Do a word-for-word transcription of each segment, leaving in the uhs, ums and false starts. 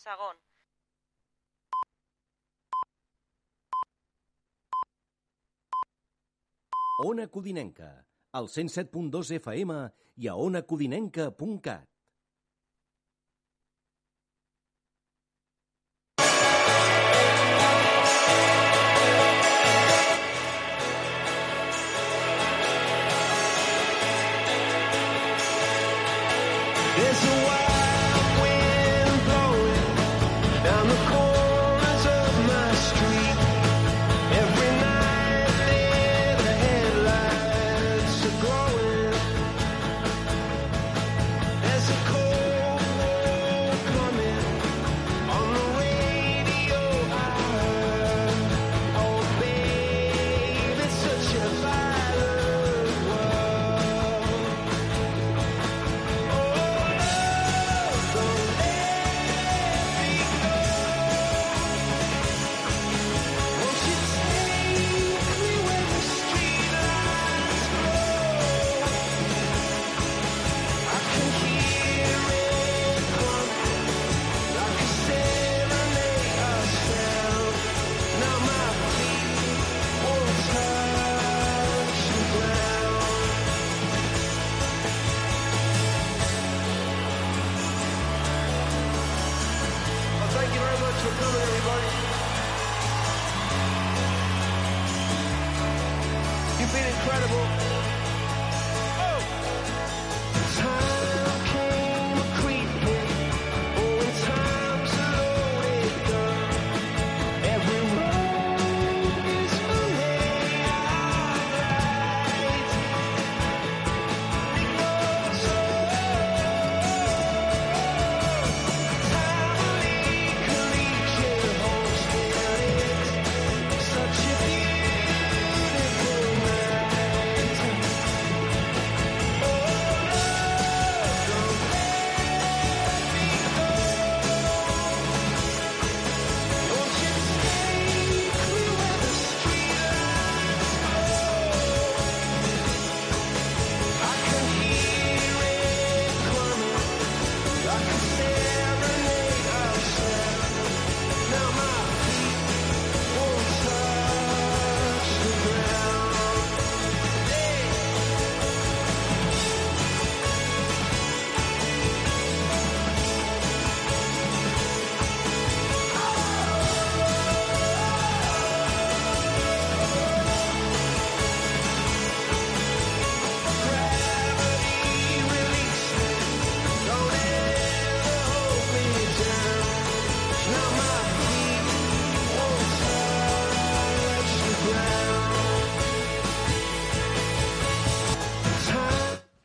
Segon. Ona Codinenca, al cent set punt dos F M i a ona codinenca punt cat. There's a wild wind blowing down the corners of my street. Every night near the headlights are glowing. There's a cold war coming on the radio I heard. Oh babe, it's such a violent world. Thank you very much for coming, everybody. You've been incredible. Oh! Time came a-creeping. Oh, and time's a loaded gun. Every road is a way out. It goes on.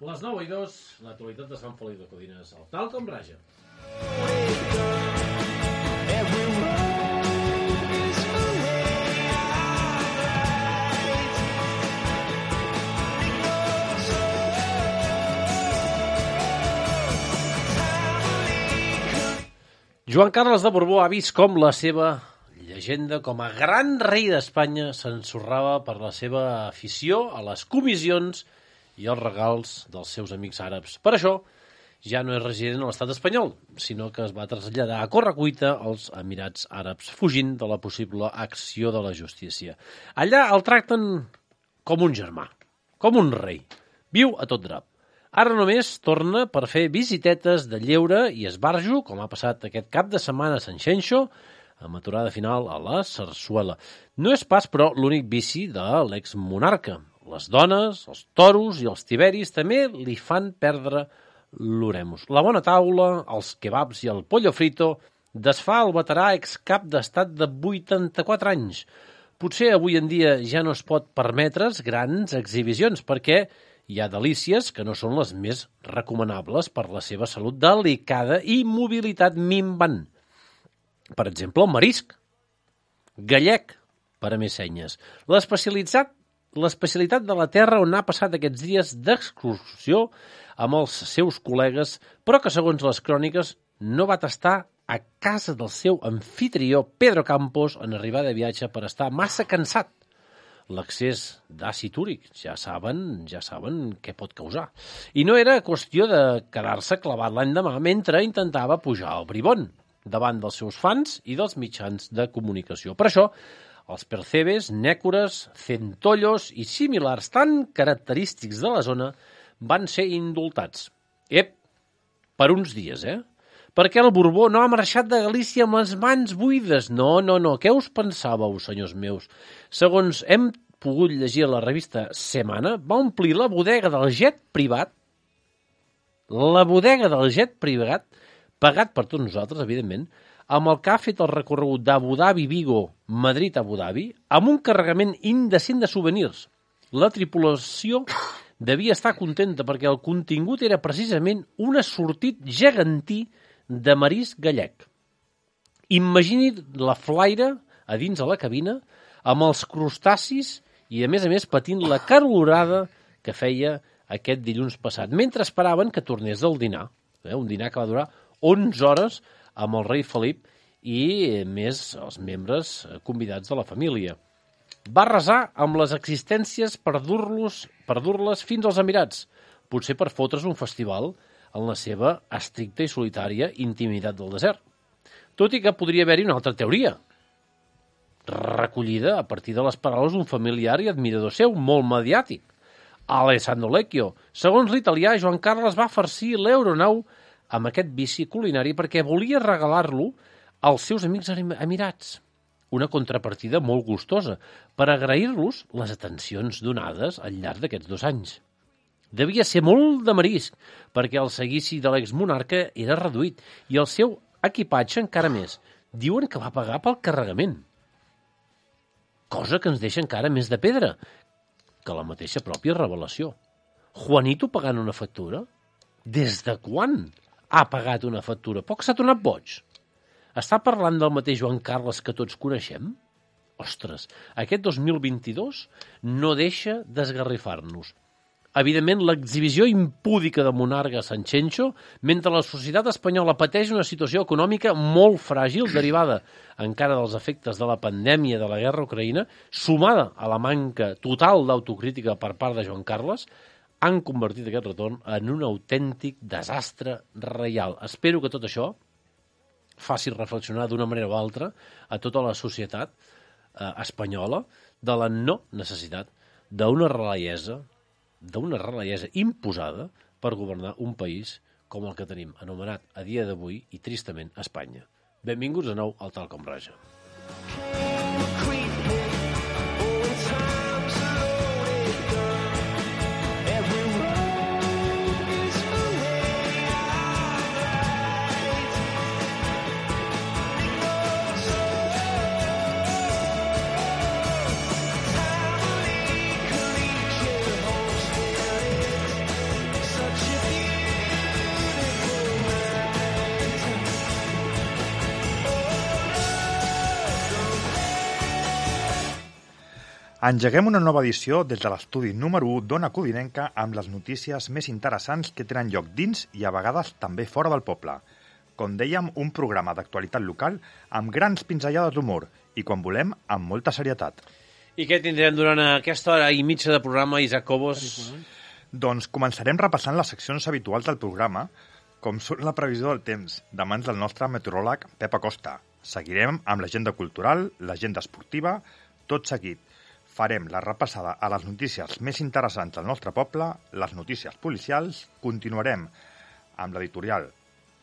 Les nou i dos, l'actualitat de Sant Feliu de Codines, el tal com raja. Joan Carles de Borbó ha vist com la seva llegenda com a gran rei d'Espanya s'ensorrava per la seva afició a les comissions i els regals dels seus amics àrabs. Per això, ja no és resident a l'estat espanyol, sinó que es va traslladar a correcuita als Emirats Àrabs, fugint de la possible acció de la justícia. Allà el tracten com un germà, com un rei. Viu a tot drap. Ara només torna per fer visitetes de lleure i esbarjo, com ha passat aquest cap de setmana a Sant Xenxo, amb aturada final a la Sarsuela. No és pas, però, l'únic vici de l'exmonarca. Les dones, els toros i els tiberis també li fan perdre l'oremus. La bona taula, els kebabs i el pollo frito desfà el veterà excap d'estat de vuitanta-quatre anys. Potser avui en dia ja no es pot permetre's grans exhibicions perquè hi ha delícies que no són les més recomanables per la seva salut delicada i mobilitat minvant. Per exemple, el marisc. Gallec, per a més senyes. L'especialitzat L'especialitat de la terra on ha passat aquests dies d'excursió amb els seus col·legues, però que, segons les cròniques, no va tastar a casa del seu anfitrió Pedro Campos en arribar de viatge per estar massa cansat. L'accés d'àcid úric, ja saben, ja saben què pot causar. I no era qüestió de quedar-se clavat l'endemà mentre intentava pujar al bribón. davant dels seus fans i dels mitjans de comunicació. Per això, els percebes, nècores, centollos i similars tan característics de la zona van ser indultats. Ep, per uns dies, eh? Perquè el Borbó no ha marxat de Galícia amb les mans buides. No, no, no. Què us pensàveu, senyors meus? Segons hem pogut llegir a la revista Semana, va omplir la bodega del jet privat, la bodega del jet privat, pagat per tots nosaltres, evidentment, amb el que ha fet el recorregut d'Abu Dhabi, Vigo, Madrid, Abu Dhabi, amb un carregament indecent de souvenirs. La tripulació devia estar contenta perquè el contingut era precisament un assortit gegantí de marisc gallec. Imagini la flaire a dins de la cabina amb els crustacis i, a més a més, patint la calorada que feia aquest dilluns passat, mentre esperaven que tornés del dinar. Eh? Un dinar que va durar onze hores amb el rei Felip i, més, els membres convidats de la família. Va resar amb les existències per dur-los per dur-les fins als Emirats, potser per fotre's un festival en la seva estricta i solitària intimitat del desert. Tot i que podria haver-hi una altra teoria, recollida a partir de les paraules d'un familiar i admirador seu, molt mediàtic, Alessandro Lecchio. Segons l'italià, Joan Carles va farcir l'Euronau amb aquest vici culinari perquè volia regalar-lo als seus amics emirats. Una contrapartida molt gustosa per agrair-los les atencions donades al llarg d'aquests dos anys. Devia ser molt de marisc, perquè el seguici de l'exmonarca era reduït i el seu equipatge encara més. Diuen que va pagar pel carregament. Cosa que ens deixa encara més de pedra que la mateixa pròpia revelació. Juanito pagant una factura? Des de quan ha pagat una factura? Poc s'ha tornat boig. Està parlant del mateix Joan Carles que tots coneixem? Ostres, aquest dos mil vint-i-dos no deixa d'esgarrifar-nos. Evidentment, l'exhibició impúdica de monarca Sanxenxo, mentre la societat espanyola pateix una situació econòmica molt fràgil, derivada encara dels efectes de la pandèmia de la guerra a Ucraïna, sumada a la manca total d'autocrítica per part de Joan Carles, han convertit aquest retorn en un autèntic desastre reial. Espero que tot això faci reflexionar d'una manera o altra a tota la societat eh, espanyola de la no necessitat d'una releiesa d'una releiesa imposada per governar un país com el que tenim anomenat a dia d'avui i tristament Espanya. Benvinguts de nou al Tal Com Raja. Engeguem una nova edició des de l'estudi número u d'Ona Codinenca amb les notícies més interessants que tenen lloc dins i a vegades també fora del poble. Com dèiem, un programa d'actualitat local amb grans pinzellades d'humor i, quan volem, amb molta serietat. I què tindrem durant aquesta hora i mitja de programa, Isaac Cobos? Doncs començarem repassant les seccions habituals del programa, com són la previsió del temps, de mans del nostre meteoròleg Pep Acosta. Seguirem amb l'agenda cultural, l'agenda esportiva, tot seguit. Farem la repassada a les notícies més interessants del nostre poble, les notícies policials, continuarem amb l'editorial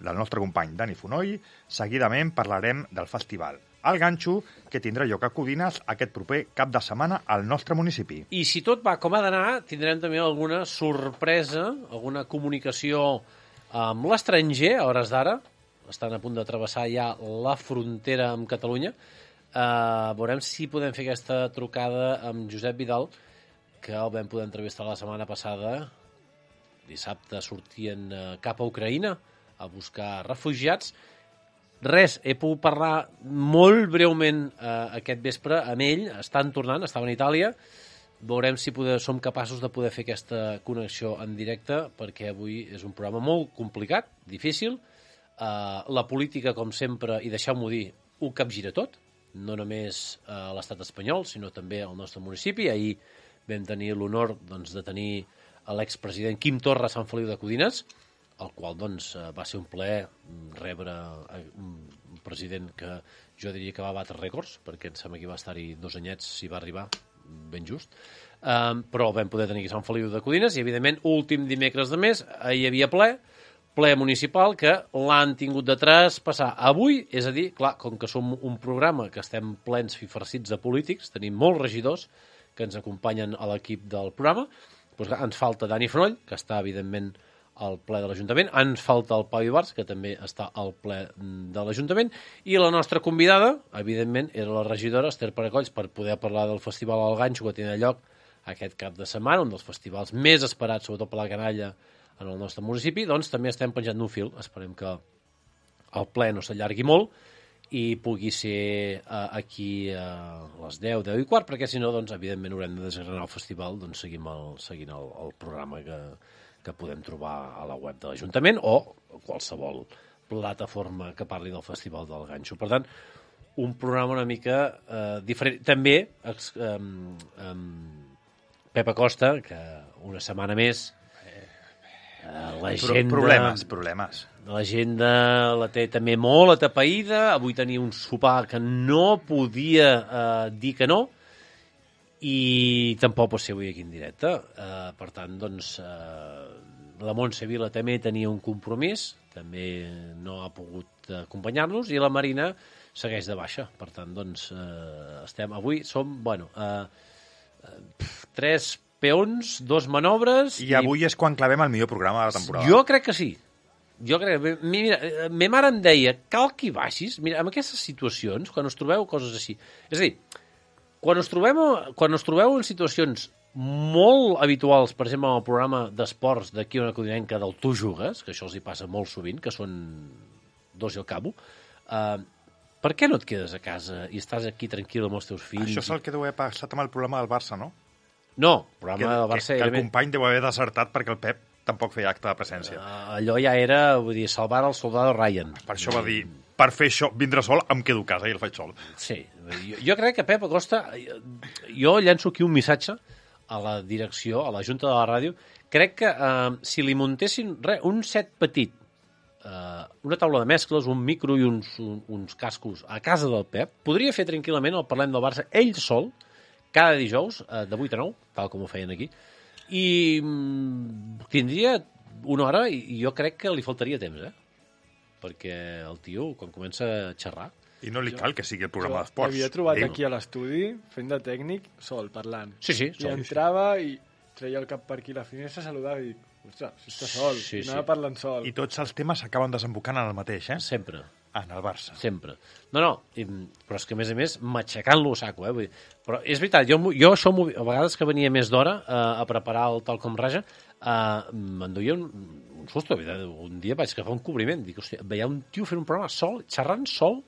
del nostre company Dani Fonoll, seguidament parlarem del festival El Ganxo, que tindrà lloc a Codines aquest proper cap de setmana al nostre municipi. I si tot va com ha d'anar, tindrem també alguna sorpresa, alguna comunicació amb l'estranger, a hores d'ara, estan a punt de travessar ja la frontera amb Catalunya. Uh, veurem si podem fer aquesta trucada amb Josep Vidal, que el vam poder entrevistar la setmana passada. Dissabte sortien uh, cap a Ucraïna a buscar refugiats. Res, he pogut parlar molt breument uh, aquest vespre amb ell. Estan tornant, estaven a Itàlia. Veurem si poder, som capaços de poder fer aquesta connexió en directe, perquè avui és un programa molt complicat, difícil. Uh, la política, com sempre, i deixeu-m'ho dir, ho capgira tot. No només a l'estat espanyol, sinó també al nostre municipi. Ahir vam tenir l'honor doncs, de tenir l'expresident Quim Torra a Sant Feliu de Codines, el qual doncs, va ser un plaer rebre, un president que jo diria que va batre rècords, perquè em sembla que va estar-hi dos anyets si va arribar, ben just. Um, però vam poder tenir aquí Sant Feliu de Codines i, evidentment, últim dimecres de mes, hi havia ple, ple municipal, que l'han tingut de traspassar avui, és a dir, clar, com que som un programa que estem plens fifarcits de polítics, tenim molts regidors que ens acompanyen a l'equip del programa, doncs, clar, ens falta Dani Fenoll, que està, evidentment, al ple de l'Ajuntament, ens falta el Pau Ibars, que també està al ple de l'Ajuntament, i la nostra convidada, evidentment, era la regidora Esther Paracolls, per poder parlar del Festival al Ganxo, que tindrà lloc aquest cap de setmana, un dels festivals més esperats, sobretot per la canalla, en el nostre municipi. Doncs també estem penjant d'un fil. Esperem que el ple no s'allargui molt i pugui ser uh, aquí a les deu, deu i quart, perquè si no, doncs, evidentment, haurem de desgranar el festival, doncs seguim el, seguint el, el programa que, que podem trobar a la web de l'Ajuntament o qualsevol plataforma que parli del Festival del Ganxo. Per tant, un programa una mica eh, diferent. També ex, eh, eh, Pep Acosta, que una setmana més eh, l'agenda... Problemes, problemes. L'agenda la té també molt atapeïda. Avui tenia un sopar que no podia eh, dir que no i tampoc pot ser avui aquí en directe. Eh, per tant, doncs, eh, la Montse Vila també tenia un compromís, també no ha pogut acompanyar-nos, i la Marina segueix de baixa. Per tant, doncs, eh, estem... Avui som, bueno... Eh, tres peons, dos manobres... I avui és quan clavem el millor programa de la temporada. Jo crec que sí. Jo crec que... Mira, ma mare em deia, cal que hi baixis. Mira, en aquestes situacions, quan us trobeu coses així... És a dir, quan us trobeu, quan us trobeu en situacions molt habituals, per exemple, en el programa d'esports d'aquí una codinenca del Tu Jugues, que això els hi passa molt sovint, que són dos i al cabo, eh, per què no et quedes a casa i estàs aquí tranquil amb els teus fills? Això és el que deu haver passat amb el programa del Barça, no? No, el programa Que, del Barça... que, que el era... company deu haver desertat perquè el Pep tampoc feia acte de presència. Uh, allò ja era, vull dir, salvar el soldado Ryan. Per això va dir, per fer això, vindre sol, em quedo a casa i el faig sol. Sí, jo, jo crec que Pep Acosta... Jo llenço aquí un missatge a la direcció, a la Junta de la Ràdio. Crec que uh, si li muntessin re, un set petit, uh, una taula de mescles, un micro i uns, un, uns cascos a casa del Pep, podria fer tranquil·lament el Parlem del Barça ell sol, cada dijous, uh, de vuit a nou, tal com ho feien aquí, i mm, tindria una hora i jo crec que li faltaria temps, eh? Perquè el tio, quan comença a xerrar... I no li cal que sigui el programa Jo d'esports. l'havia trobat Ell. aquí a l'estudi, fent de tècnic, sol, parlant. Sí, sí, I sol. entrava i treia el cap per aquí a la finestra, saludava i dic, ostres, si està sol, Sí, sí, anava sí. parlant sol. I tots els temes s'acaben desembocant en el mateix, eh? Sempre. En el Barça. Sempre. No, no, i, però és que, a més a més, matxacant-lo a saco, eh? Vull dir, però és veritat, jo, jo això, a vegades que venia més d'hora eh, a preparar el tal com raja, eh, m'enduia un, un susto. Un dia vaig agafar un cobriment, dic, hòstia, veia un tio fent un programa sol, xerrant sol,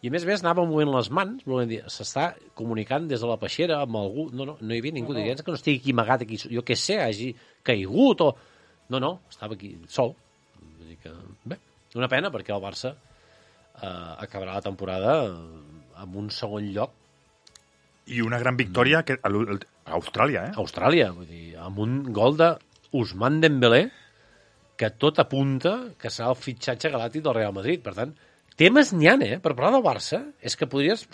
i a més a més anava movent les mans, volent dir, s'està comunicant des de la peixera amb algú, no, no, no hi havia ningú, no, no. que no estigui aquí amagat, aquí, jo què sé, hagi caigut o... No, no, estava aquí sol. Vull dir que, bé, una pena, perquè el Barça eh, acabarà la temporada amb un segon lloc. I una gran victòria que, a l'u- a Austràlia, eh? A Austràlia, vull dir, amb un gol de Ousmane Dembélé, que tot apunta que serà el fitxatge galàctic del Real Madrid. Per tant, temes n'hi ha, eh? Per parlar del Barça, és que podries...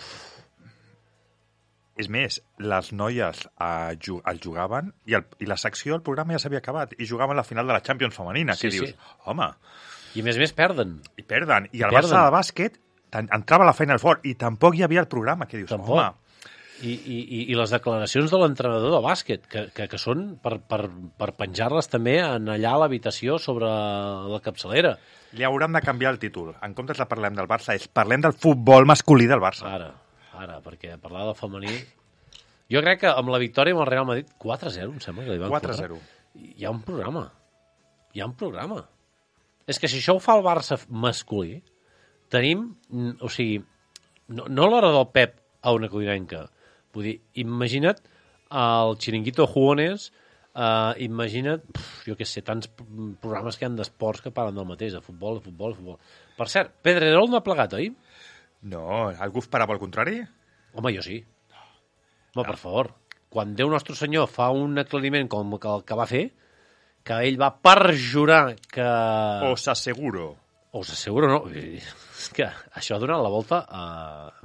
És més, les noies eh, ju el jugaven i, el, i la secció del programa ja s'havia acabat i jugaven la final de la Champions femenina. Sí, Què dius? sí. Home, I a més a més perden. i perden. I I el perden. Barça de bàsquet tan- entrava a la Final Four i tampoc hi havia el programa. Què dius? Tampoc. Home, I, i, i- i les declaracions de l'entrenador de bàsquet, que, que, que són per, per, per penjar-les també en allà a l'habitació sobre la capçalera. li hauran de canviar el títol. En comptes de parlem del Barça, és parlem del futbol masculí del Barça. Ara, ara, perquè parlar del femení... Jo crec que amb la victòria amb el Real Madrid, quatre a zero, em sembla que li van quatre a córrer. zero. Hi ha un programa. Hi ha un programa. És que si això ho fa el Barça masculí, tenim, mm, o sigui, no, no l'hora del Pep a una codinenca. Vull dir, imagina't el Chiringuito Jugones, uh, imagina't, pf, jo què sé, tants programes que hi ha d'esports que parlen del mateix, de futbol, de futbol, de futbol. Per cert, Pedrerol no ha plegat, oi? No, algú esperava el contrari? Home, jo sí. Home, per favor, quan Déu Nostre Senyor fa un aclariment com el que va fer, que ell va perjurar que... Os asseguro. Us asseguro, no. És que això ha donat la volta a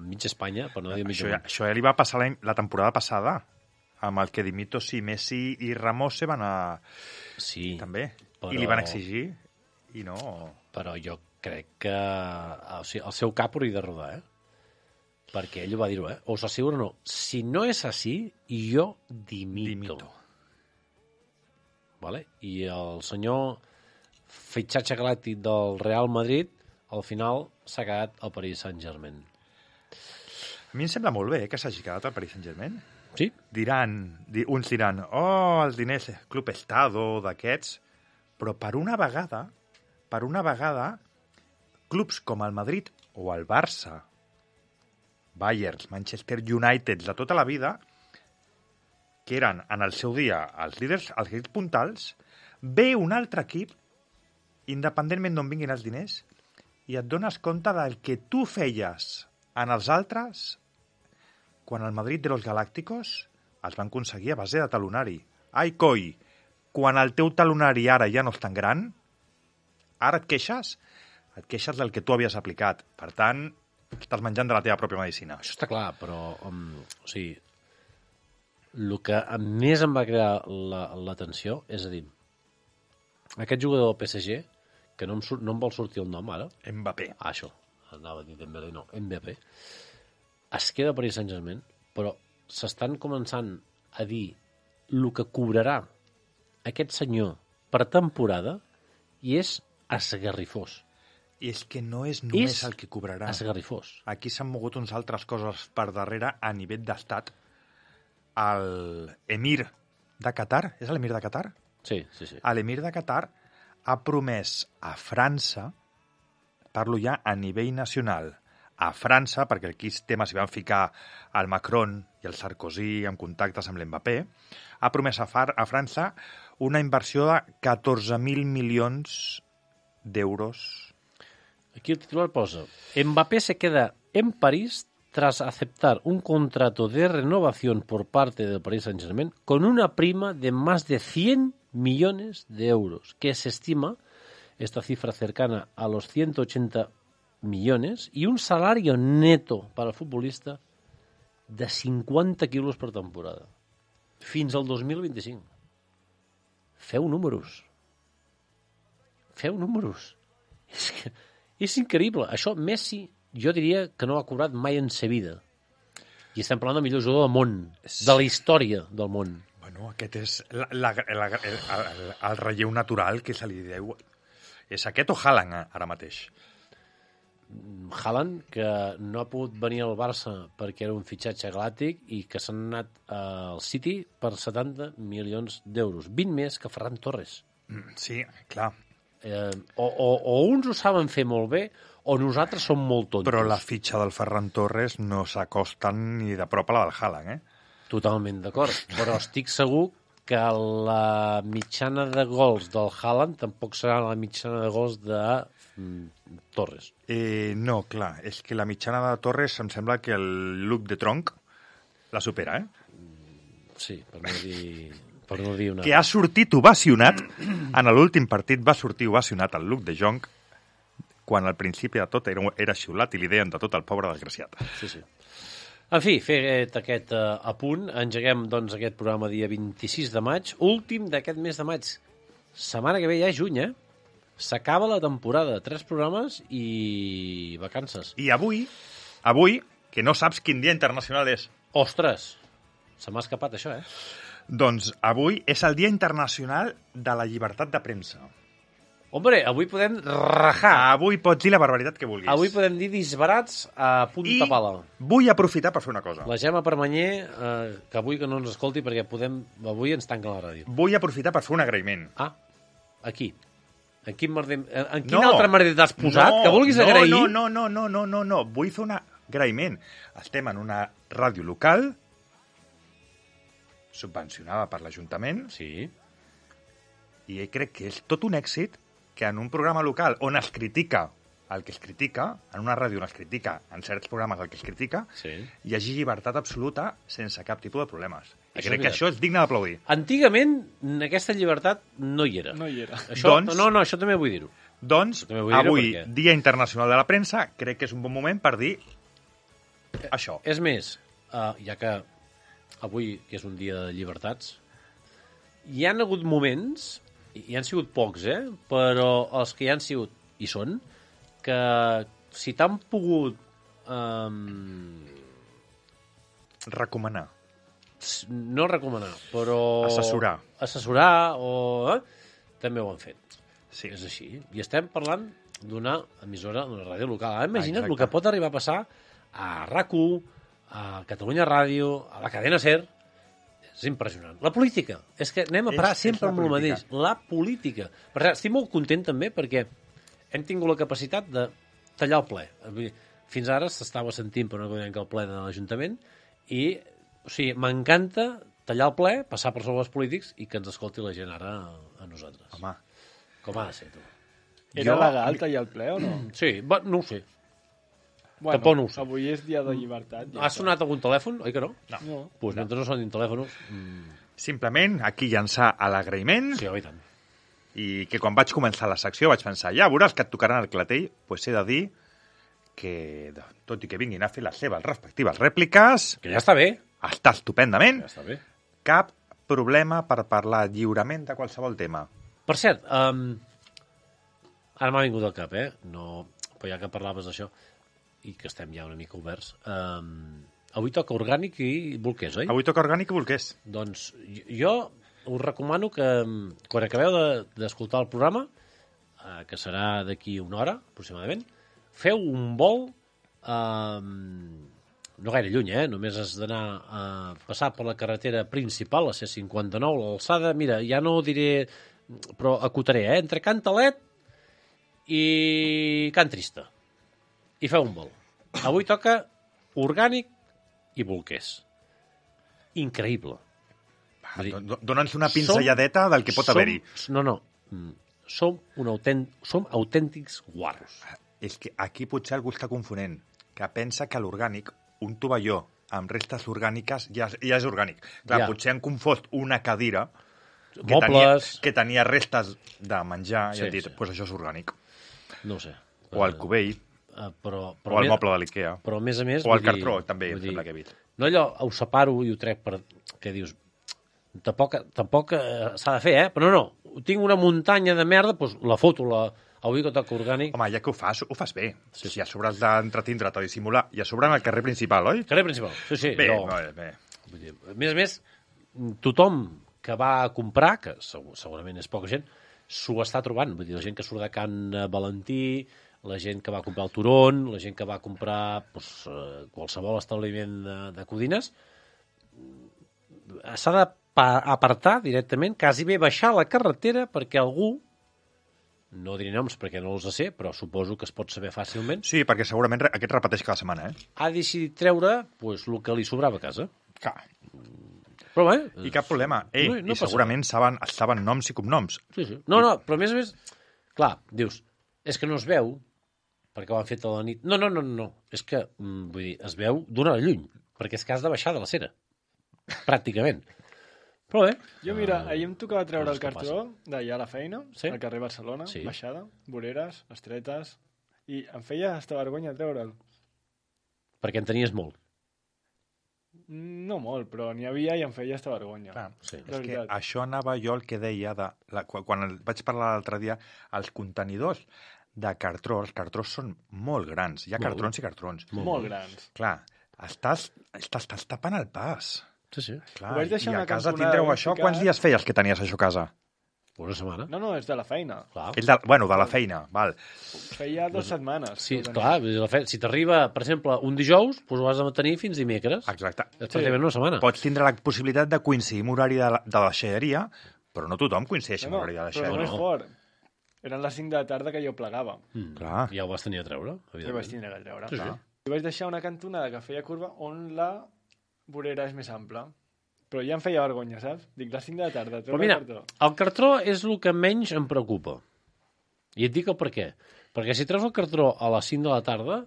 mitja Espanya, per no dir mitja Això ja, món. això ja li va passar la, la temporada passada, amb el que Dimitos i Messi i Ramos se van a... Sí, també. però- I li van exigir, i no... però jo crec que o sigui, el seu cap hauria de rodar, eh? Perquè ell ho va dir-ho, eh? Us asseguro, no. Si no és així, jo dimito. Dimito. Vale? I el senyor fitxatge galàctic del Real Madrid, al final s'ha quedat al Paris Saint-Germain. A mi em sembla molt bé eh, que s'hagi quedat al Paris Saint-Germain. Sí? Diran, di, uns diran, oh, els diners, Club Estado, d'aquests, però per una vegada, per una vegada, clubs com el Madrid o el Barça, Bayern, Manchester United, de tota la vida, que eren en el seu dia els líders, els equips puntals, ve un altre equip, independentment d'on vinguin els diners, i et dones compte del que tu feies en els altres quan el Madrid de los Galácticos els van aconseguir a base de talonari. Ai, coi, quan el teu talonari ara ja no és tan gran, ara et queixes, et queixes del que tu havies aplicat. Per tant, estàs menjant de la teva pròpia medicina. Això està clar, però um, o sigui, el que més em va crear la- l'atenció, és a dir, aquest jugador del P S G, que no em, sur- no em vol sortir el nom ara, Mbappé. ah, això, anava a dir Dembélé, no, Mbappé, es queda a Paris Saint-Germain, però s'estan començant a dir el que cobrarà aquest senyor per temporada i és esgarrifós. I és que no és només És el que cobrarà. Esgarrifós. Aquí s'han mogut uns altres coses per darrere a nivell d'estat. El emir de Qatar, és l'emir de Qatar? Sí, sí, sí. L'emir de Qatar ha promès a França, parlo ja a nivell nacional, a França, perquè aquí el tema s'hi van ficar el Macron i el Sarkozy en contactes amb l'Mbappé, ha promès a, Far, a França una inversió de catorze mil milions d'euros. Aquí el titular posa: Mbappé se queda en París tras aceptar un contrato de renovación por parte del Paris Saint-Germain con una prima de más de cien millones de euros, que se estima esta cifra cercana a los ciento ochenta millones y un salario neto para el futbolista de cinquanta quilos per temporada. Fins al dos mil vint-i-cinc. Feu números. Feu números. És que és increïble. Això Messi, jo diria que no ha cobrat mai en sa vida. I estem parlant del millor jugador del món, de la història del món. Bueno, aquest és la, la, la, el, el, el relleu natural que se li deu. És aquest o Haaland ara mateix? Haaland, que no ha pogut venir al Barça perquè era un fitxatge galàctic i que s'han anat al City per setanta milions d'euros. vint més que Ferran Torres. Sí, clar. Eh, o, o, o uns ho saben fer molt bé o nosaltres som molt tontos. Però la fitxa del Ferran Torres no s'acosta ni de prop a la del Haaland, eh? Totalment d'acord, però estic segur que la mitjana de gols del Haaland tampoc serà la mitjana de gols de mm, Torres. Eh, no, clar, és que la mitjana de Torres em sembla que el look de tronc la supera, eh? Sí, per no dir, per no dir una... Que ha sortit ovacionat, en l'últim partit va sortir ovacionat el look de Jong, quan al principi de tot era, era xiulat i li deien de tot el pobre desgraciat. Sí, sí. En fi, fet aquest uh, apunt, engeguem doncs, aquest programa dia vint-i-sis de maig, últim d'aquest mes de maig. Setmana que ve ja és juny, eh? S'acaba la temporada, tres programes i vacances. I avui, avui, que no saps quin dia internacional és, Ostres, se m'ha escapat això, eh? doncs avui és el Dia Internacional de la Llibertat de Premsa. Hombre, avui podem rajar. Avui pots dir la barbaritat que vulguis. Avui podem dir disbarats a punta I pala. vull aprofitar per fer una cosa. La Gemma Permanyer, eh, que avui que no ens escolti perquè podem, avui ens tanquen la ràdio. Vull aprofitar per fer un agraïment. Ah, aquí. En quin, merder, en quin altre merder t'has posat? No, que vulguis no, agrair? No, no, no, no, no, no, no. Vull fer un agraïment. Estem en una ràdio local subvencionada per l'Ajuntament Sí. i crec que és tot un èxit que en un programa local on es critica el que es critica, en una ràdio on es critica, en certs programes el que es critica, Sí. hi hagi llibertat absoluta sense cap tipus de problemes. I Això crec és que veritat. això és digne d'aplaudir. Antigament aquesta llibertat no hi era. No hi era. Això, Doncs- No, no, això també vull dir-ho. Doncs, També vull dir-ho avui, perquè- Dia Internacional de la Premsa, crec que és un bon moment per dir això. És més, uh, ja que avui, que és un dia de llibertats, hi han hagut moments, i han sigut pocs, eh? Però els que hi han sigut, i són, que si t'han pogut um, Recomanar. no recomanar, però... Assessorar. Assessorar, o... Eh? També ho han fet. Sí. És així. I estem parlant d'una emissora, d'una ràdio local. Ara imagina't Exacte. el que pot arribar a passar a RAC u, a Catalunya Ràdio, a la cadena SER. És impressionant. La política. És que anem a parar És- sempre és la amb el política. mateix. La política. Per cert, estic molt content també perquè hem tingut la capacitat de tallar el ple. Vull dir, fins ara s'estava sentint per una cosa que el ple de l'Ajuntament i, o sigui, m'encanta tallar el ple, passar per sobre els polítics i que ens escolti la gent ara a, a nosaltres. Home, Com ha de ser, tu? Era Jo- legal tallar el ple o no? Sí, va, no ho sé. Bueno, Tampoc no ho sé. avui és dia de llibertat. ja Ha està. sonat algun telèfon, oi que no? No. no. Pues mentre no sonin telèfons... Mm, simplement aquí llançar a l'agraïment sí, oi tant. i que quan vaig començar la secció vaig pensar, ja veuràs que et tocaran el clatell, doncs he de dir que, tot i que vinguin a fer les seves respectives rèpliques, Que ja està bé. està estupendament, Ja està bé. cap problema per parlar lliurement de qualsevol tema. Per cert, um, ara m'ha vingut al cap, eh? No, però ja que parlaves d'això, i que estem ja una mica oberts, um, avui toca orgànic i bolquers, oi? Avui toca orgànic i bolquers. Doncs jo us recomano que um, quan acabeu de- d'escoltar el programa, uh, que serà d'aquí una hora, aproximadament, feu un vol um, no gaire lluny, eh? Només has d'anar a passar per la carretera principal, la C cinquanta-nou, l'alçada, mira, ja no diré, però acotaré, eh? Entre Can Talet i Can Trista. I feu un vol. Avui toca orgànic i bolquers. Increïble. Va, Vull dir, do- do- Dona'ns una pinzelladeta del que pot som- haver-hi. No, no. Mm, Som, un autent, som autèntics guarros. És que aquí potser algú està confonent, que pensa que l'orgànic, un tovalló amb restes orgàniques, ja, ja és orgànic. Clar, Ja. potser han confós una cadira que Mobles. tenia, que tenia restes de menjar Sí, i han dit, sí. pues això és orgànic. No ho sé. O el Eh, cubell, eh, però, però o el més- moble de l'Ikea, Però a més a més... o el vull dir- cartró, també, em vull dir, sembla que he vist. No allò, ho separo i ho trec per... que dius... Tampoc, tampoc eh, s'ha de fer, eh? Però no, no. Tinc una muntanya de merda, doncs la foto, la... avui que toca orgànic... Home, ja que ho fas, ho fas bé. Sí. Si a sobre has d'entretindre't o dissimular, i a sobre en el carrer principal, oi? Carrer principal. Sí, sí. Bé, jo, bé, bé. Vull dir, a més a més, tothom que va a comprar, que segur, segurament és poca gent, s'ho està trobant. Vull dir, la gent que surt de Can Valentí, la gent que va comprar el Turon, la gent que va comprar doncs, eh, qualsevol establiment de, de Codines, s'ha d'apartar directament, quasi bé baixar la carretera perquè algú, no diré noms perquè no els sé, però suposo que es pot saber fàcilment, Sí, perquè segurament re- aquest repeteix cada setmana, eh? ha decidit treure doncs, el que li sobrava a casa. Clar. Però bé... I cap problema. Ei, no, no i passa segurament saben, saben noms i cognoms. Sí, sí. No, no, però a més a més, clar, dius, és que no es veu, perquè ho han fet a la nit. No, no, no, no, és que, mm, vull dir, es veu d'una hora lluny, perquè és que has de baixar de la cera, pràcticament. Però bé, Jo, mira, ahir em tocava treure coses el que cartró d'allà a la feina, Sí? al carrer Barcelona, Sí. baixada, voreres, estretes, i em feia hasta vergonya treure'l. perquè en tenies molt. No molt, però n'hi havia i em feia hasta vergonya. Clar, Sí. De és que veritat. això anava jo el que deia, de, la, quan, quan el vaig parlar l'altre dia, els contenidors de cartró, els cartrons són molt grans. Hi ha Molt. cartrons i cartrons. Molt, molt grans. Clar, estàs, estàs, estàs tapant el pas. Sí, sí. Clar, Ho vaig deixar i a una casa cantonada tindreu ben això. ficat. Quants dies feies que tenies això a casa? Una setmana. No, no, és de la feina. Clar. És de, bueno, de la feina, val. Feia dues setmanes. Sí, que ho tenia. clar, vull dir, la fe... si t'arriba, per exemple, un dijous, doncs ho has de tenir fins dimecres. Exacte. És pràcticament una setmana. Pots tindre la possibilitat de coincidir amb l'horari de, la, de la deixalleria, però no tothom coincideix amb No, no, l'horari de la però el deixalleria. més fort. Eren les cinc de la tarda que jo plegava. Mm. Clar. Ja ho vas tenir a treure, I vaig evidentment. tindre que treure. Sí, sí. I vaig deixar una cantonada que feia curva on la vorera és més ampla. Però ja em feia vergonya, saps? Dic, les cinc de la tarda, Però treure mira, el cartró. el cartró és el que menys em preocupa. I et dic el per què. Perquè si treus el cartró a les cinc de la tarda,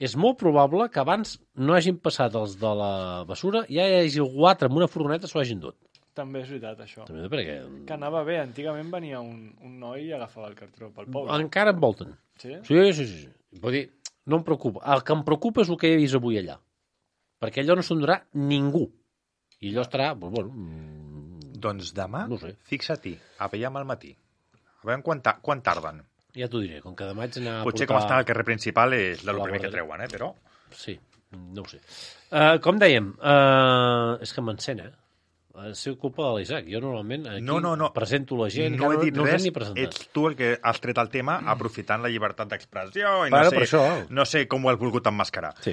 és molt probable que abans no hagin passat els de la bessura, ja hi hagi algú altre amb una furgoneta s'ho hagin dut. També és veritat, això. També perquè... Que anava bé. Antigament venia un, un noi i agafava el cartró pel poble. Encara em volten. Sí? Sí, sí, sí. sí. Vull dir, no em preocupa. El que em preocupa és el que he vist avui allà. Perquè allò no se'n durà ningú. I allò estarà... Bueno, mm, Doncs demà, No ho sé. fixa-t'hi, a veiem al matí. A veure quan, ta quan tarden. ja t'ho diré. Com que demà haig d'anar a Potser portar... com està al carrer principal és el La primer que guarderia. treuen, eh? Però... Sí, no ho sé. Uh, com dèiem, uh, és que m'encén, eh? Ha sigut culpa de l'Isaac. Jo normalment aquí No, no, no. presento la gent, no he dit no us res, hem ni presentat. ets tu el que has tret el tema aprofitant la llibertat d'expressió i Bueno, no, per sé, això. no sé com ho has volgut emmascarar. Sí.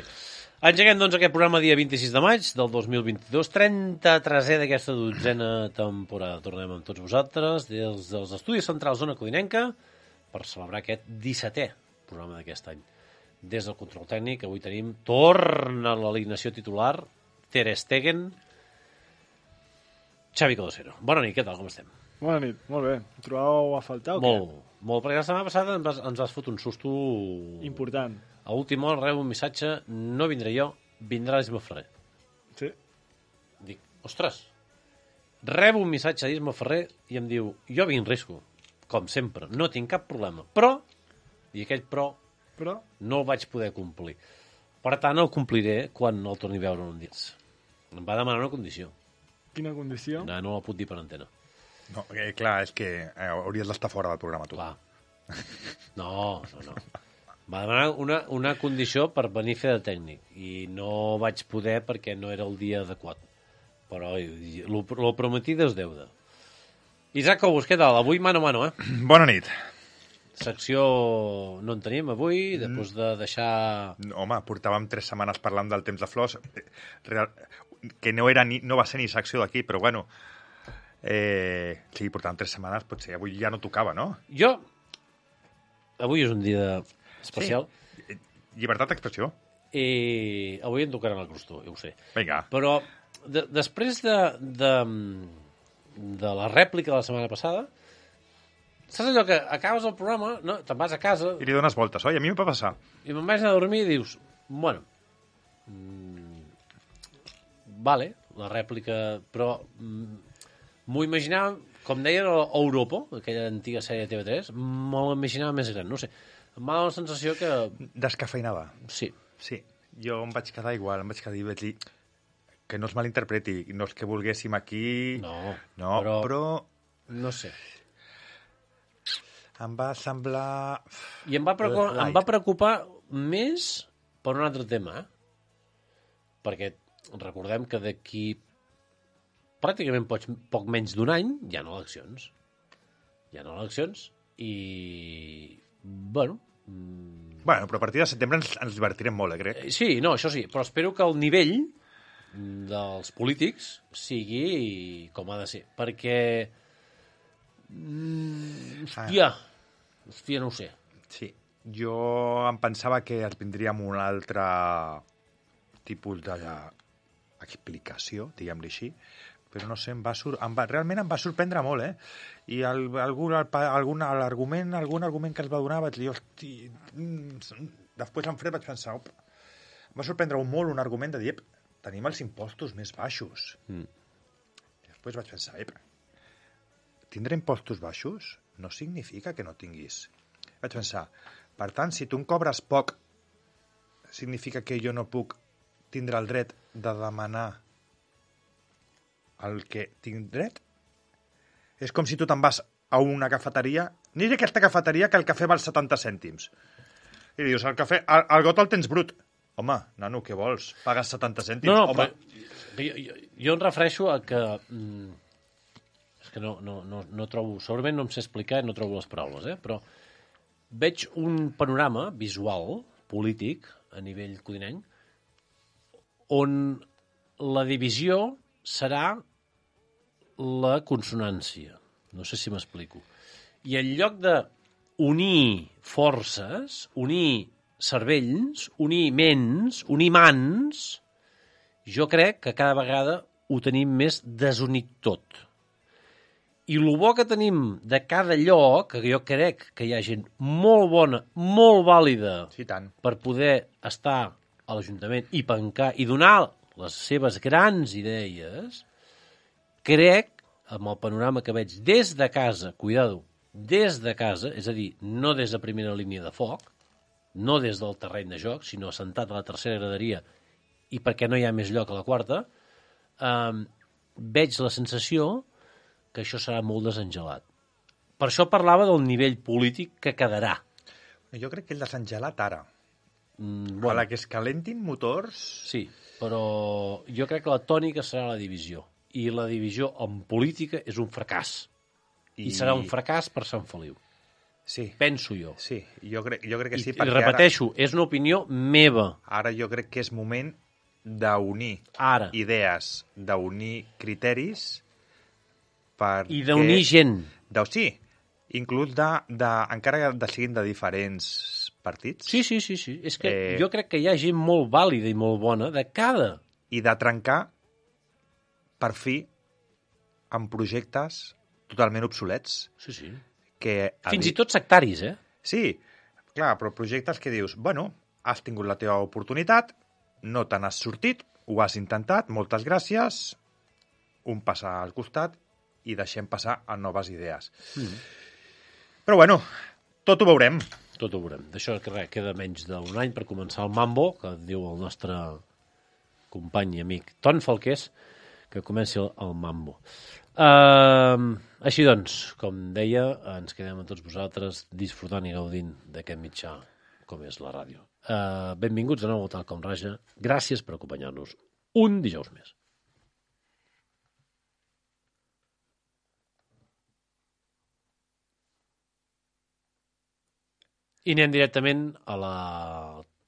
Engeguem, doncs, aquest programa dia vint-i-sis de maig del dos mil vint-i-dos, trenta-tresè d'aquesta dotzena temporada. Tornem amb tots vosaltres des dels Estudis Centrals Zona Codinenca per celebrar aquest dissetè programa d'aquest any. Des del control tècnic, avui tenim, torna l'alineació titular, Ter Stegen, Xavi Codosero. Bona nit, què tal, com estem? Bona nit, molt bé. Ho trobàveu a faltar o què? Molt, molt, perquè la setmana passada ens vas, ens vas fot un susto... Important. A última hora rebo un missatge, no vindré jo, vindrà l'Isma Ferrer. Sí. Dic, ostres, rebo un missatge d'Isma Ferrer i em diu, jo vinc risco, com sempre, no tinc cap problema, però, i aquell però, Però, no el vaig poder complir. Per tant, el compliré quan el torni a veure un dins. Em va demanar una condició. quina condició? No, no la puc dir per antena. No, eh, clar, és que eh, hauries d'estar fora del programa, tu. Clar. No, no, no. Va demanar una, una condició per venir a fer de tècnic i no vaig poder perquè no era el dia adequat. Però el prometido és deuda. Isaac Cobos, què tal? Avui mano a mano, eh? Bona nit. Secció no en tenim avui, després de deixar... Home, portàvem tres setmanes parlant del temps de flors, eh, real, que no, era ni, no va ser ni secció d'aquí, però bueno, eh, sí, portàvem tres setmanes, potser avui ja no tocava, no? Jo... Avui és un dia especial Sí. Llibertat d'expressió. i avui em tocaran el crostó, ja ho sé. Vinga. Però de, després de, de, de la rèplica de la setmana passada, saps allò que acabes el programa, no? Te'n vas a casa I li dones voltes, oi? A mi em va passar. i me'n vaig anar a dormir i dius, bueno, mm, vale, la rèplica, però mm, m'ho imaginava, com deien a Europa, aquella antiga sèrie de T V tres, m'ho imaginava més gran, no sé. Em va donar la sensació que... Descafeinada. Sí, Sí, jo em vaig quedar igual, em vaig quedar i vaig dir que no es malinterpreti, no és que volguéssim aquí... no, No, però, però... no sé. Em va semblar... I em va, preocupar, Light. em va preocupar més per un altre tema, eh? Perquè recordem que d'aquí pràcticament poc, poc menys d'un any hi ha eleccions. Hi ha eleccions i... Bueno... mm, Bueno, però a partir de setembre ens, ens divertirem molt, eh, crec. eh, Sí, no, això sí, però espero que el nivell dels polítics sigui com ha de ser. Perquè... Mm, hòstia, hòstia, no ho sé. Sí, jo em pensava que es vindria amb un altre tipus d'explicació, diguem-li així, però no sé, em va sur... em va... realment em va sorprendre molt, eh? I el, algun, el, algun, l'argument, algun argument que es va donar vaig dir, hosti... Mm, després en fred vaig pensar, op, em va sorprendre molt un argument de dir, ep, tenim els impostos més baixos. Mm. Després vaig pensar, ep, tindre impostos baixos no significa que no tinguis. Vaig pensar, per tant, si tu em cobres poc, significa que jo no puc tindre el dret de demanar el que tinc dret? És com si tu te'n vas a una cafeteria, ni és aquesta cafeteria que el cafè val setanta cèntims. I dius, el cafè, el, el got el tens brut. Home, nano, què vols? Pagues setanta cèntims? No, no, Home, però jo, jo, jo em refereixo a que... Mm, és que no, no, no, no trobo... Segurament no em sé explicar i no trobo les paraules, eh? Però veig un panorama visual, polític, a nivell codinenc, on la divisió serà la consonància. No sé si m'explico. I en lloc de unir forces, unir cervells, unir ments, unir mans, jo crec que cada vegada ho tenim més desunit tot. I el bo que tenim de cada lloc, que jo crec que hi ha gent molt bona, molt vàlida, sí, tant. per poder estar a l'Ajuntament i pencar i donar les seves grans idees, crec, amb el panorama que veig des de casa, cuidado, des de casa, és a dir, no des de primera línia de foc, no des del terreny de joc, sinó assentat a la tercera graderia i perquè no hi ha més lloc a la quarta, eh, veig la sensació que això serà molt desengelat. Per això parlava del nivell polític que quedarà. Jo crec que el desengelat ara. Mm, Bueno. A la que es calentin motors... Sí, però jo crec que la tònica serà la divisió. I la divisió en política és un fracàs. I, I serà un fracàs per Sant Feliu. Sí. Penso jo. Sí, jo crec, jo crec que sí. I, i repeteixo, ara, és una opinió meva. Ara jo crec que és moment d'unir Ara. idees, d'unir criteris per I d'unir gent. De, sí, inclús de, de, encara que siguin de diferents partits. Sí, sí, sí, sí. És que Eh, jo crec que hi ha gent molt vàlida i molt bona de cada. I de trencar, per fi, amb projectes totalment obsolets. Sí, sí. Que Fins i tot sectaris, eh? Sí, clar, però projectes que dius, bueno, has tingut la teva oportunitat, no te n'has sortit, ho has intentat, moltes gràcies, un passa al costat i deixem passar a noves idees. Mm. Però bueno, tot ho veurem. Tot ho veurem. D'això que res, queda menys d'un any per començar el Mambo, que diu el nostre company i amic Ton Falqués, que comenci el, el Mambo. Uh, així doncs, com deia, ens quedem amb tots vosaltres disfrutant i gaudint d'aquest mitjà com és la ràdio. Uh, benvinguts de nou a Tal Com Raja. Gràcies per acompanyar-nos un dijous més. I anem directament a la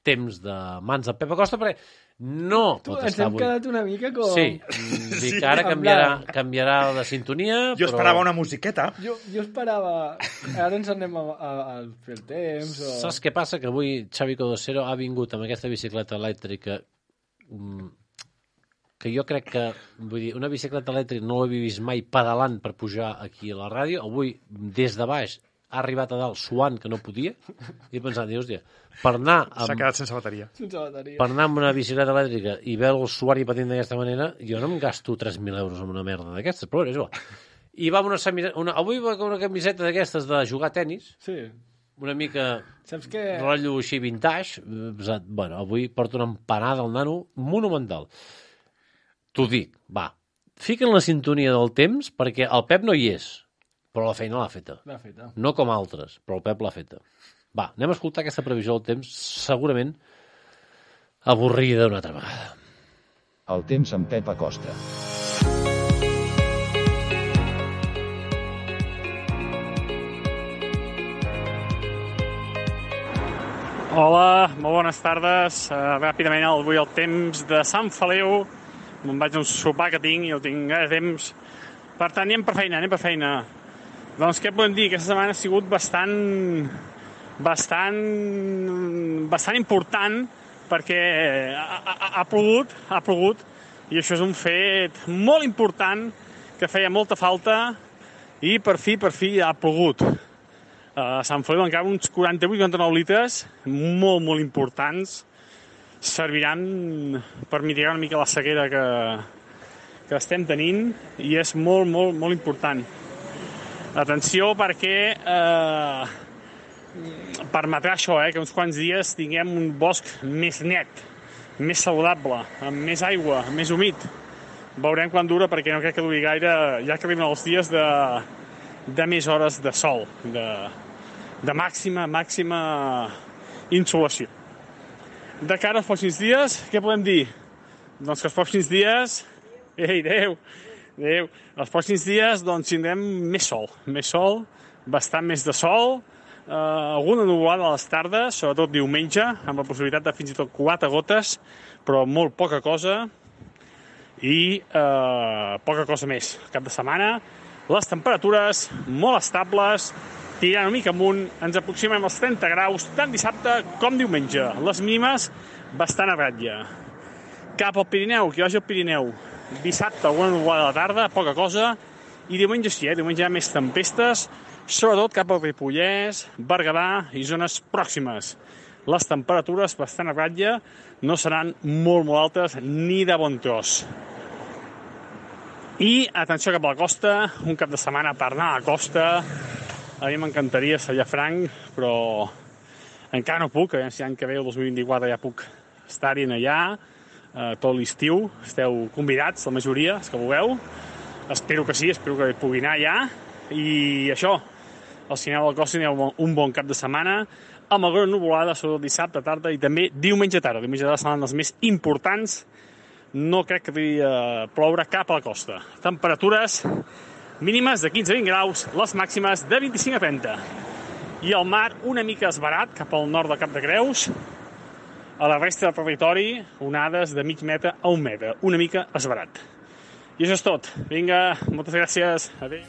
temps de mans de Pep Acosta, perquè no Tu, pot ens estar hem avui. quedat una mica com... Sí, mm, dic que ara canviarà, canviarà la sintonia, Jo però... esperava una musiqueta. Jo, jo esperava... Ara ens anem a, a, a fer el temps o... Saps què passa? Que avui Xavi Codosero ha vingut amb aquesta bicicleta elèctrica mm, que jo crec que, vull dir, una bicicleta elèctrica no l'he vist mai pedalant per pujar aquí a la ràdio. Avui, des de baix, ha arribat a dalt suant que no podia. I he pensat, dius, hòstia, per anar S'ha amb, quedat sense bateria. Sense bateria. per anar amb una bicicleta elèctrica i veure el suar i patint d'aquesta manera, jo no em gasto tres mil euros en una merda d'aquestes, però és igual. I va amb una, semi... una... Avui va amb una camiseta d'aquestes de jugar a tenis, Sí. una mica Saps que... rotllo així vintage. Bueno, avui porto una empanada al nano monumental. T'ho dic, va. Fiquen la sintonia del temps perquè el Pep no hi és, però la feina l'ha feta. L'ha feta. No com altres, però el Pep l'ha feta. Va, anem a escoltar aquesta previsió del temps, segurament avorrida una altra vegada. El temps amb Pep Acosta. Hola, molt bones tardes. Uh, ràpidament, avui el temps de Sant Feliu. Me'n vaig a un sopar que tinc i el tinc gaire temps. Per tant, anem per feina, anem per feina. Doncs què podem dir? Aquesta setmana ha sigut bastant... bastant... bastant important perquè ha, ha, ha plogut, ha plogut, i això és un fet molt important que feia molta falta i per fi, per fi ha plogut. A Sant Feliu encara uns quaranta-vuit quaranta-nou litres, molt, molt importants, serviran per mitigar una mica la sequera que, que estem tenint i és molt, molt, molt important. Atenció perquè eh, permetrà això, eh, que uns quants dies tinguem un bosc més net, més saludable, amb més aigua, més humit. Veurem quan dura perquè no crec que duri gaire, ja que arriben els dies de, de més hores de sol, de, de màxima, màxima insolació. De cara als pròxims dies, què podem dir? Doncs que els pròxims dies... Ei, Déu! Déu! Els pròxims dies doncs, tindrem més sol, més sol, bastant més de sol, eh, alguna nuvolada a les tardes, sobretot diumenge, amb la possibilitat de fins i tot quatre gotes, però molt poca cosa, i eh, poca cosa més. Cap de setmana, les temperatures molt estables, tirant una mica amunt, ens aproximem als trenta graus, tant dissabte com diumenge. Les mínimes bastant a ratlla. Cap al Pirineu, qui vagi al Pirineu, dissabte alguna nuvolada a la tarda, poca cosa, i diumenge sí, eh? diumenge hi ha més tempestes, sobretot cap al Ripollès, Berguedà i zones pròximes. Les temperatures bastant a ratlla, no seran molt, molt altes ni de bon tros. I atenció cap a la costa, un cap de setmana per anar a la costa. A mi m'encantaria ser allà franc, però encara no puc. A veure si l'any que ve, el dos mil vint-i-quatre, ja puc estar-hi allà. Eh, tot l'estiu. Esteu convidats, la majoria, els que vulgueu. Espero que sí, espero que pugui anar allà. I això, al cinema de la costa hi ha un bon cap de setmana, amb alguna nuvolada, sobretot dissabte, tarda, i també diumenge tarda. Diumenge tarda seran els més importants. No crec que devi uh, ploure cap a la costa. Temperatures mínimes de quinze a vint graus, les màximes de vint-i-cinc a trenta. I el mar una mica esbarat cap al nord de Cap de Creus. A la resta del territori, onades de mig metre a un metre. Una mica esbarat. I això és tot. Vinga, moltes gràcies. Adéu.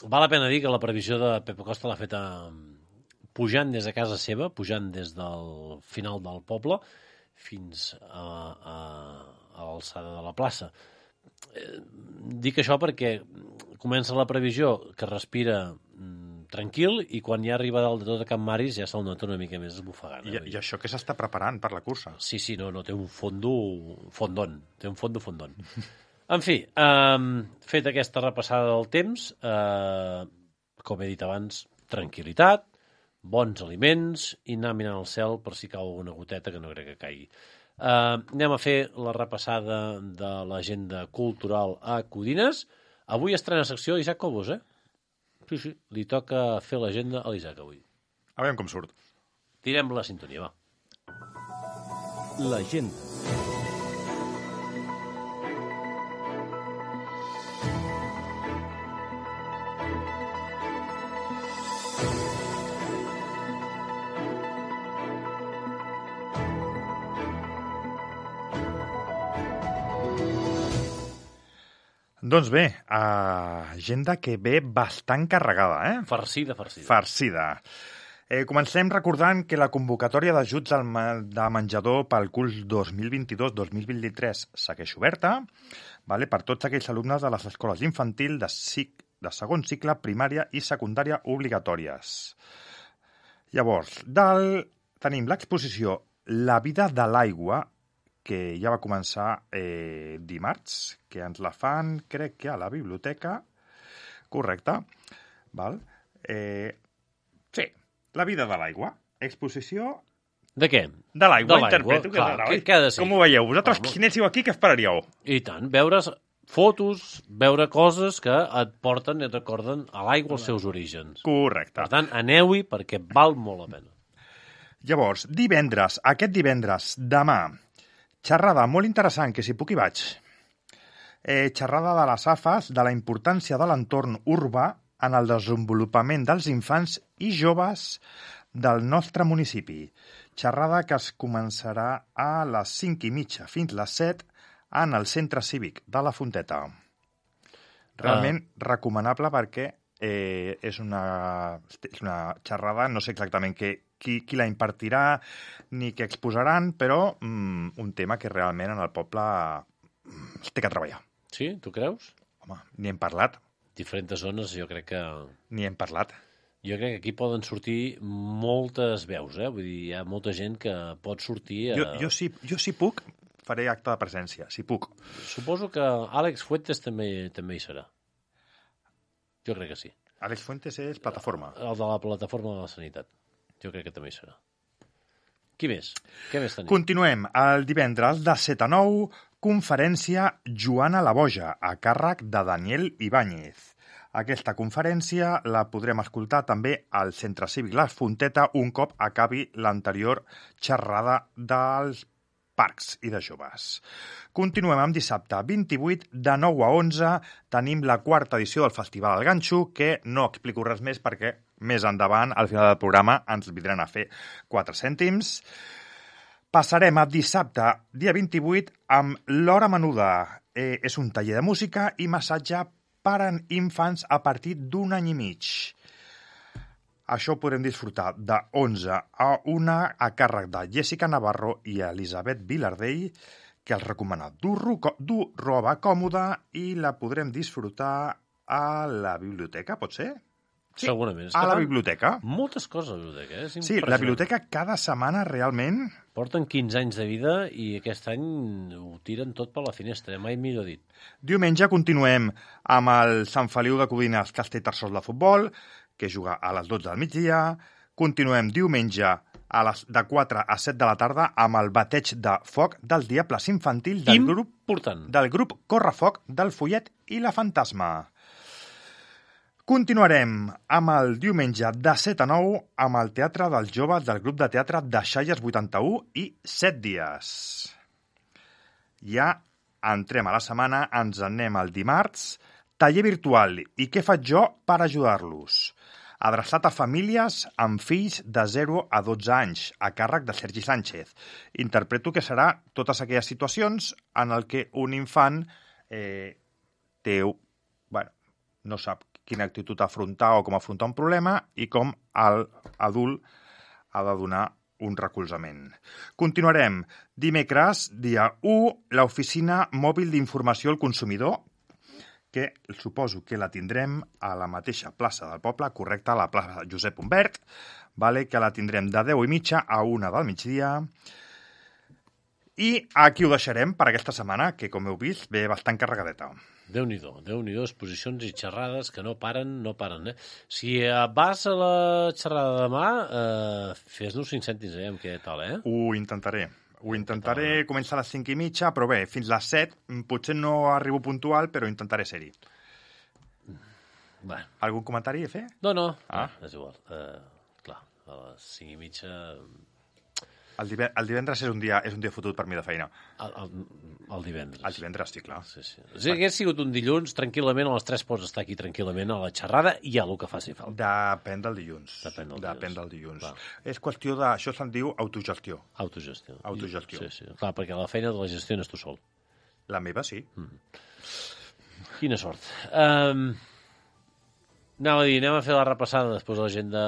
Val la pena dir que la previsió de Pepa Costa l'ha feta pujant des de casa seva, pujant des del final del poble fins a, a, a l'alçada de la plaça. Eh, dic això perquè comença la previsió que respira mm, tranquil i quan ja arriba dalt de tot a Can Maris ja se'l nota una mica més esbufegant. I, I això que s'està preparant per la cursa. Sí, sí, no, no, té un fondo fondon, té un fondo fondon. En fi, eh, fet aquesta repassada del temps, eh, com he dit abans, tranquil·litat, bons aliments i anar mirant al cel per si cau alguna goteta que no crec que caigui. Uh, anem a fer la repassada de l'agenda cultural a Codines. Avui estrena secció Isaac Cobos, eh? Sí, sí, li toca fer l'agenda a l'Isaac avui. A veure com surt. Tirem la sintonia, va. L'agenda. Doncs bé, agenda que ve bastant carregada, eh? Farcida, farcida. Farcida. Eh, comencem recordant que la convocatòria d'ajuts al ma- de menjador pel curs dos mil vint-i-dos dos mil vint-i-tres segueix oberta, vale, per tots aquells alumnes de les escoles infantil de, cic, de segon cicle, primària i secundària obligatòries. Llavors, del, tenim l'exposició La vida de l'aigua, que ja va començar eh, dimarts, que ens la fan, crec que a la biblioteca, correcte, val? Eh, sí, La vida de l'aigua, exposició De què? de l'aigua, De l'aigua, interpreto que clar, és de l'aigua. què- què ha de ser? Com ho veieu? Vosaltres, Home. qui anéssiu aquí, què esperaríeu? I tant, veure fotos, veure coses que et porten i et recorden a l'aigua els seus orígens. Correcte. Per tant, aneu-hi perquè val molt la pena. Llavors, divendres, aquest divendres, demà, xerrada molt interessant, que si puc hi vaig. Eh, xerrada de les A F As, de la importància de l'entorn urbà en el desenvolupament dels infants i joves del nostre municipi. Xerrada que es començarà a les cinc i mitja fins les set en el centre cívic de la Fonteta. Realment recomanable perquè eh, és, una, és una xerrada, no sé exactament què, qui, qui la impartirà ni què exposaran, però mm, un tema que realment en el poble mm, es té que treballar. Sí? Tu creus? Home, ni hem parlat, Diferents zones, jo crec que... ni hem parlat. Jo crec que aquí poden sortir moltes veus, eh? Vull dir, hi ha molta gent que pot sortir... A... Jo, jo, si, jo si puc, faré acte de presència, si puc. Suposo que Àlex Fuentes també també hi serà. Jo crec que sí. Àlex Fuentes és plataforma. El de la plataforma de la sanitat. Jo crec que també hi serà. Qui més? Què més tenim? Continuem. El divendres de set a nou, conferència Joana la Boja, a càrrec de Daniel Ibáñez. Aquesta conferència la podrem escoltar també al Centre Cívic La Fonteta un cop acabi l'anterior xerrada dels parcs i de joves. Continuem amb dissabte vint-i-vuit, de nou a onze, tenim la quarta edició del Festival del Ganxo, que no explico res més perquè més endavant, al final del programa, ens vindran a fer quatre cèntims. Passarem a dissabte, dia vint-i-vuit, amb l'Hora Menuda. Eh, és un taller de música i massatge per a infants a partir d'un any i mig. Això ho podrem disfrutar de onze a una a càrrec de Jessica Navarro i Elisabet Vilardell, que els recomana dur, dur roba còmoda i la podrem disfrutar a la biblioteca, pot ser? Sí, segurament. És a que la fan biblioteca. Moltes coses a la biblioteca, eh? És Sí, la impressionant. biblioteca cada setmana realment... Porten quinze anys de vida i aquest any ho tiren tot per la finestra, eh? Mai millor dit. Diumenge continuem amb el Sant Feliu de Codines Castellterçol de futbol, que juga a les dotze del migdia. Continuem diumenge a les de quatre a set de la tarda amb el bateig de foc dels Diables Infantil del grup, Important. del grup Correfoc del Follet i la Fantasma. Continuarem amb el diumenge de set a nou amb el Teatre dels Joves del grup de teatre de Xalles vuitanta-u i set dies. Ja entrem a la setmana, ens anem al dimarts, taller virtual i què faig jo per ajudar-los? Adreçat a famílies amb fills de zero a dotze anys, a càrrec de Sergi Sánchez. Interpreto que serà totes aquelles situacions en el que un infant eh, té, bueno, no sap quina actitud afrontar o com afrontar un problema i com l'adult ha de donar un recolzament. Continuarem. Dimecres, dia u, l'oficina mòbil d'informació al consumidor, que suposo que la tindrem a la mateixa plaça del poble, correcte, a la plaça Josep Humbert, vale, que la tindrem de deu i mitja a una del migdia. I aquí ho deixarem per aquesta setmana, que com heu vist ve bastant carregadeta. Déu-n'hi-do, Déu-n'hi-do, exposicions i xerrades que no paren, no paren, eh? Si eh, vas a la xerrada demà, eh, fes-nos cinc cèntims, eh, amb què tal, eh? Ho intentaré. Ho intentaré, començar a les cinc i mitja, però bé, fins les set, potser no arribo puntual, però intentaré ser-hi. Bueno. Algun comentari a fer? No, no, Ah. no és igual. Uh, clar, a les cinc i mitja... El, dive el divendres és un dia és un dia fotut per mi de feina. El, el, el divendres. El divendres, sí, clar. Sí, sí. Si hagués sigut un dilluns, tranquil·lament, a les tres pots estar aquí tranquil·lament a la xerrada i a el que faci falta. Depèn del dilluns. Depèn del Depèn dilluns. del dilluns. Clar. És qüestió de... Això se'n diu autogestió. Autogestió. Autogestió. Sí, sí. Clar, perquè la feina de la gestiones tu sol. La meva, sí. Quina sort. Um, anava a dir, anem a fer la repassada després de l'agenda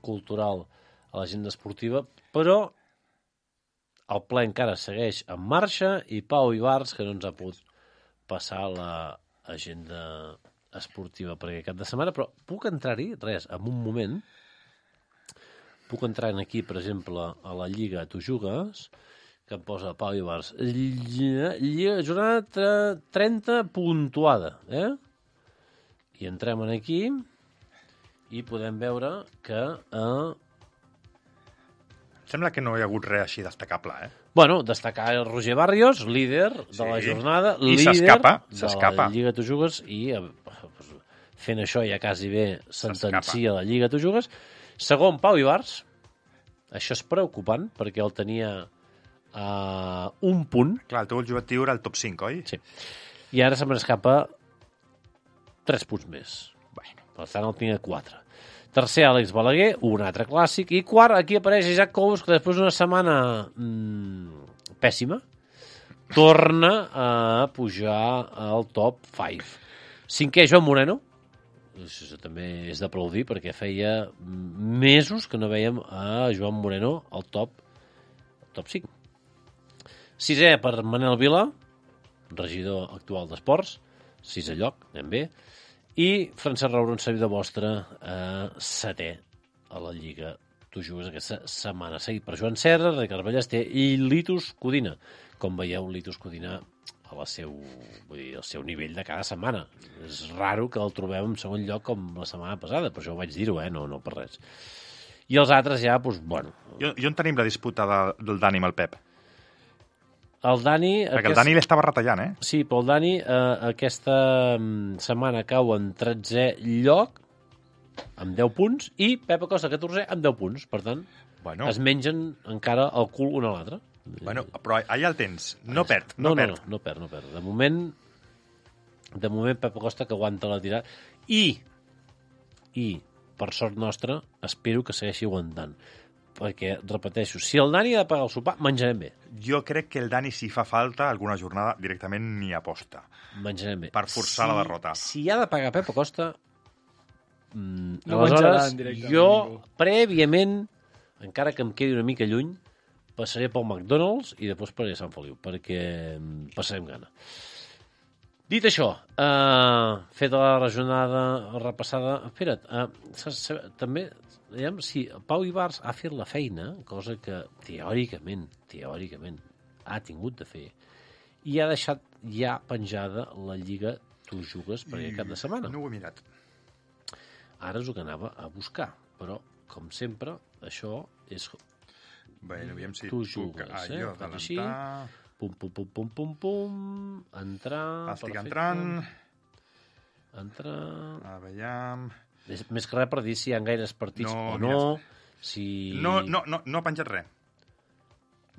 cultural a l'agenda esportiva, però el ple encara segueix en marxa i Pau Ibars, que no ens ha pogut passar l'agenda esportiva per aquest cap de setmana, però puc entrar-hi, res, en un moment, puc entrar aquí, per exemple, a la Lliga Tu Jugues, que em posa Pau Ibars, Lliga, Lliga jornada trenta puntuada, eh? I entrem en aquí i podem veure que... Eh, Sembla que no hi ha hagut res així destacable, eh? Bueno, destacar el Roger Barrios, líder de Sí. la jornada, I líder s'escapa, de s'escapa. la Lliga Tu Jugues i eh, pues, fent això ja quasi bé sentencia la Lliga Tu Jugues. Segon, Pau Ibars. Això és preocupant perquè el tenia a un punt. Clar, el teu objectiu era el top cinc, oi? Sí. I ara se me n'escapa tres punts més. Bueno. Per tant, el tinc a quatre. Tercer, Àlex Balaguer, un altre clàssic. I quart, aquí apareix Isaac Cous, que després d'una setmana mmm, pèssima, torna a pujar al top cinc. Cinquè, Joan Moreno. Això també és d'aplaudir, perquè feia mesos que no veiem a Joan Moreno al top, top cinc. Sisè, per Manel Vila, regidor actual d'Esports. Sisè lloc, anem bé. I Francesc Rauró, un servidor vostre, eh, setè a la Lliga Tu Jugues aquesta setmana. Seguit per Joan Serra, Ricard Ballester i Litus Codina. Com veieu, Litus Codina a la seu, vull dir, al seu nivell de cada setmana. És raro que el trobem en segon lloc com la setmana passada, per això ho vaig dir-ho, eh? no, no per res. I els altres ja, doncs, bueno... I, i on tenim la disputa de, del Dani amb el Pep? El Dani... Perquè aquest... el Dani l'estava retallant, eh? Sí, però el Dani eh, aquesta mm, setmana cau en tretzè lloc amb deu punts i Pep Acosta, catorzè, amb deu punts. Per tant, Bueno, es mengen encara el cul un a l'altre. bueno, però allà el tens. No perd, No, no, no, perd. no, no perd, no perd. De moment, de moment Pep Acosta que aguanta la tirada. I, i, per sort nostra, espero que segueixi aguantant. Perquè, repeteixo, si el Dani ha de pagar el sopar, menjarem bé. Jo crec que el Dani, si fa falta, alguna jornada directament ni aposta. Menjarem bé. Per forçar la derrota. Si ha de pagar Pep Acosta, mm, No aleshores, menjaran directament jo, ningú. prèviament, encara que em quedi una mica lluny, passaré pel McDonald's i després per a Sant Feliu, perquè mm, passarem gana. Dit això, uh, feta la regionada repassada... Espera't, uh, saps, saps, també, diguem, si Pau Ibars ha fet la feina, cosa que teòricament, teòricament, ha tingut de fer, i ha deixat ja penjada la Lliga Tu Jugues per aquest cap de setmana. No ho he mirat. Ara és el que anava a buscar, però, com sempre, això és... Bé, aviam si Tu tu... jugues, Ah, eh? jo, Faig així. adelantar... Pum, pum, pum, pum, pum, pum, entrar... Estic perfecte. entrant. Entrar... Aviam... És, més que res per dir si hi ha gaires partits No, o mira, no, si... No, no, no, no ha penjat res.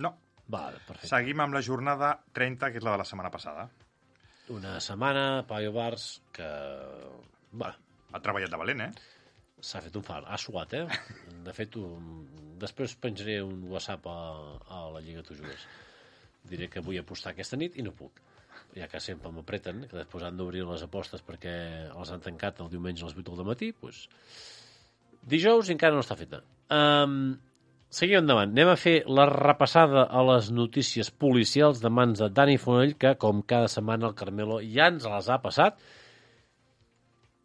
No. Vale, perfecte. Seguim amb la jornada trenta, que és la de la setmana passada. Una setmana, Pau Bars, que... Bueno, Ha treballat de valent, eh? s'ha fet un far. Ha suat, eh? De fet, un... després penjaré un WhatsApp a, a la Lliga Tu Jugues. Diré que vull apostar aquesta nit i no puc. Ja que sempre m'apreten, que després han d'obrir les apostes perquè els han tancat el diumenge a les vuit del matí, doncs... Dijous encara no està feta. Um, seguim endavant. Anem a fer la repassada a les notícies policials de mans de Dani Fonell, que, com cada setmana, el Carmelo ja ens les ha passat.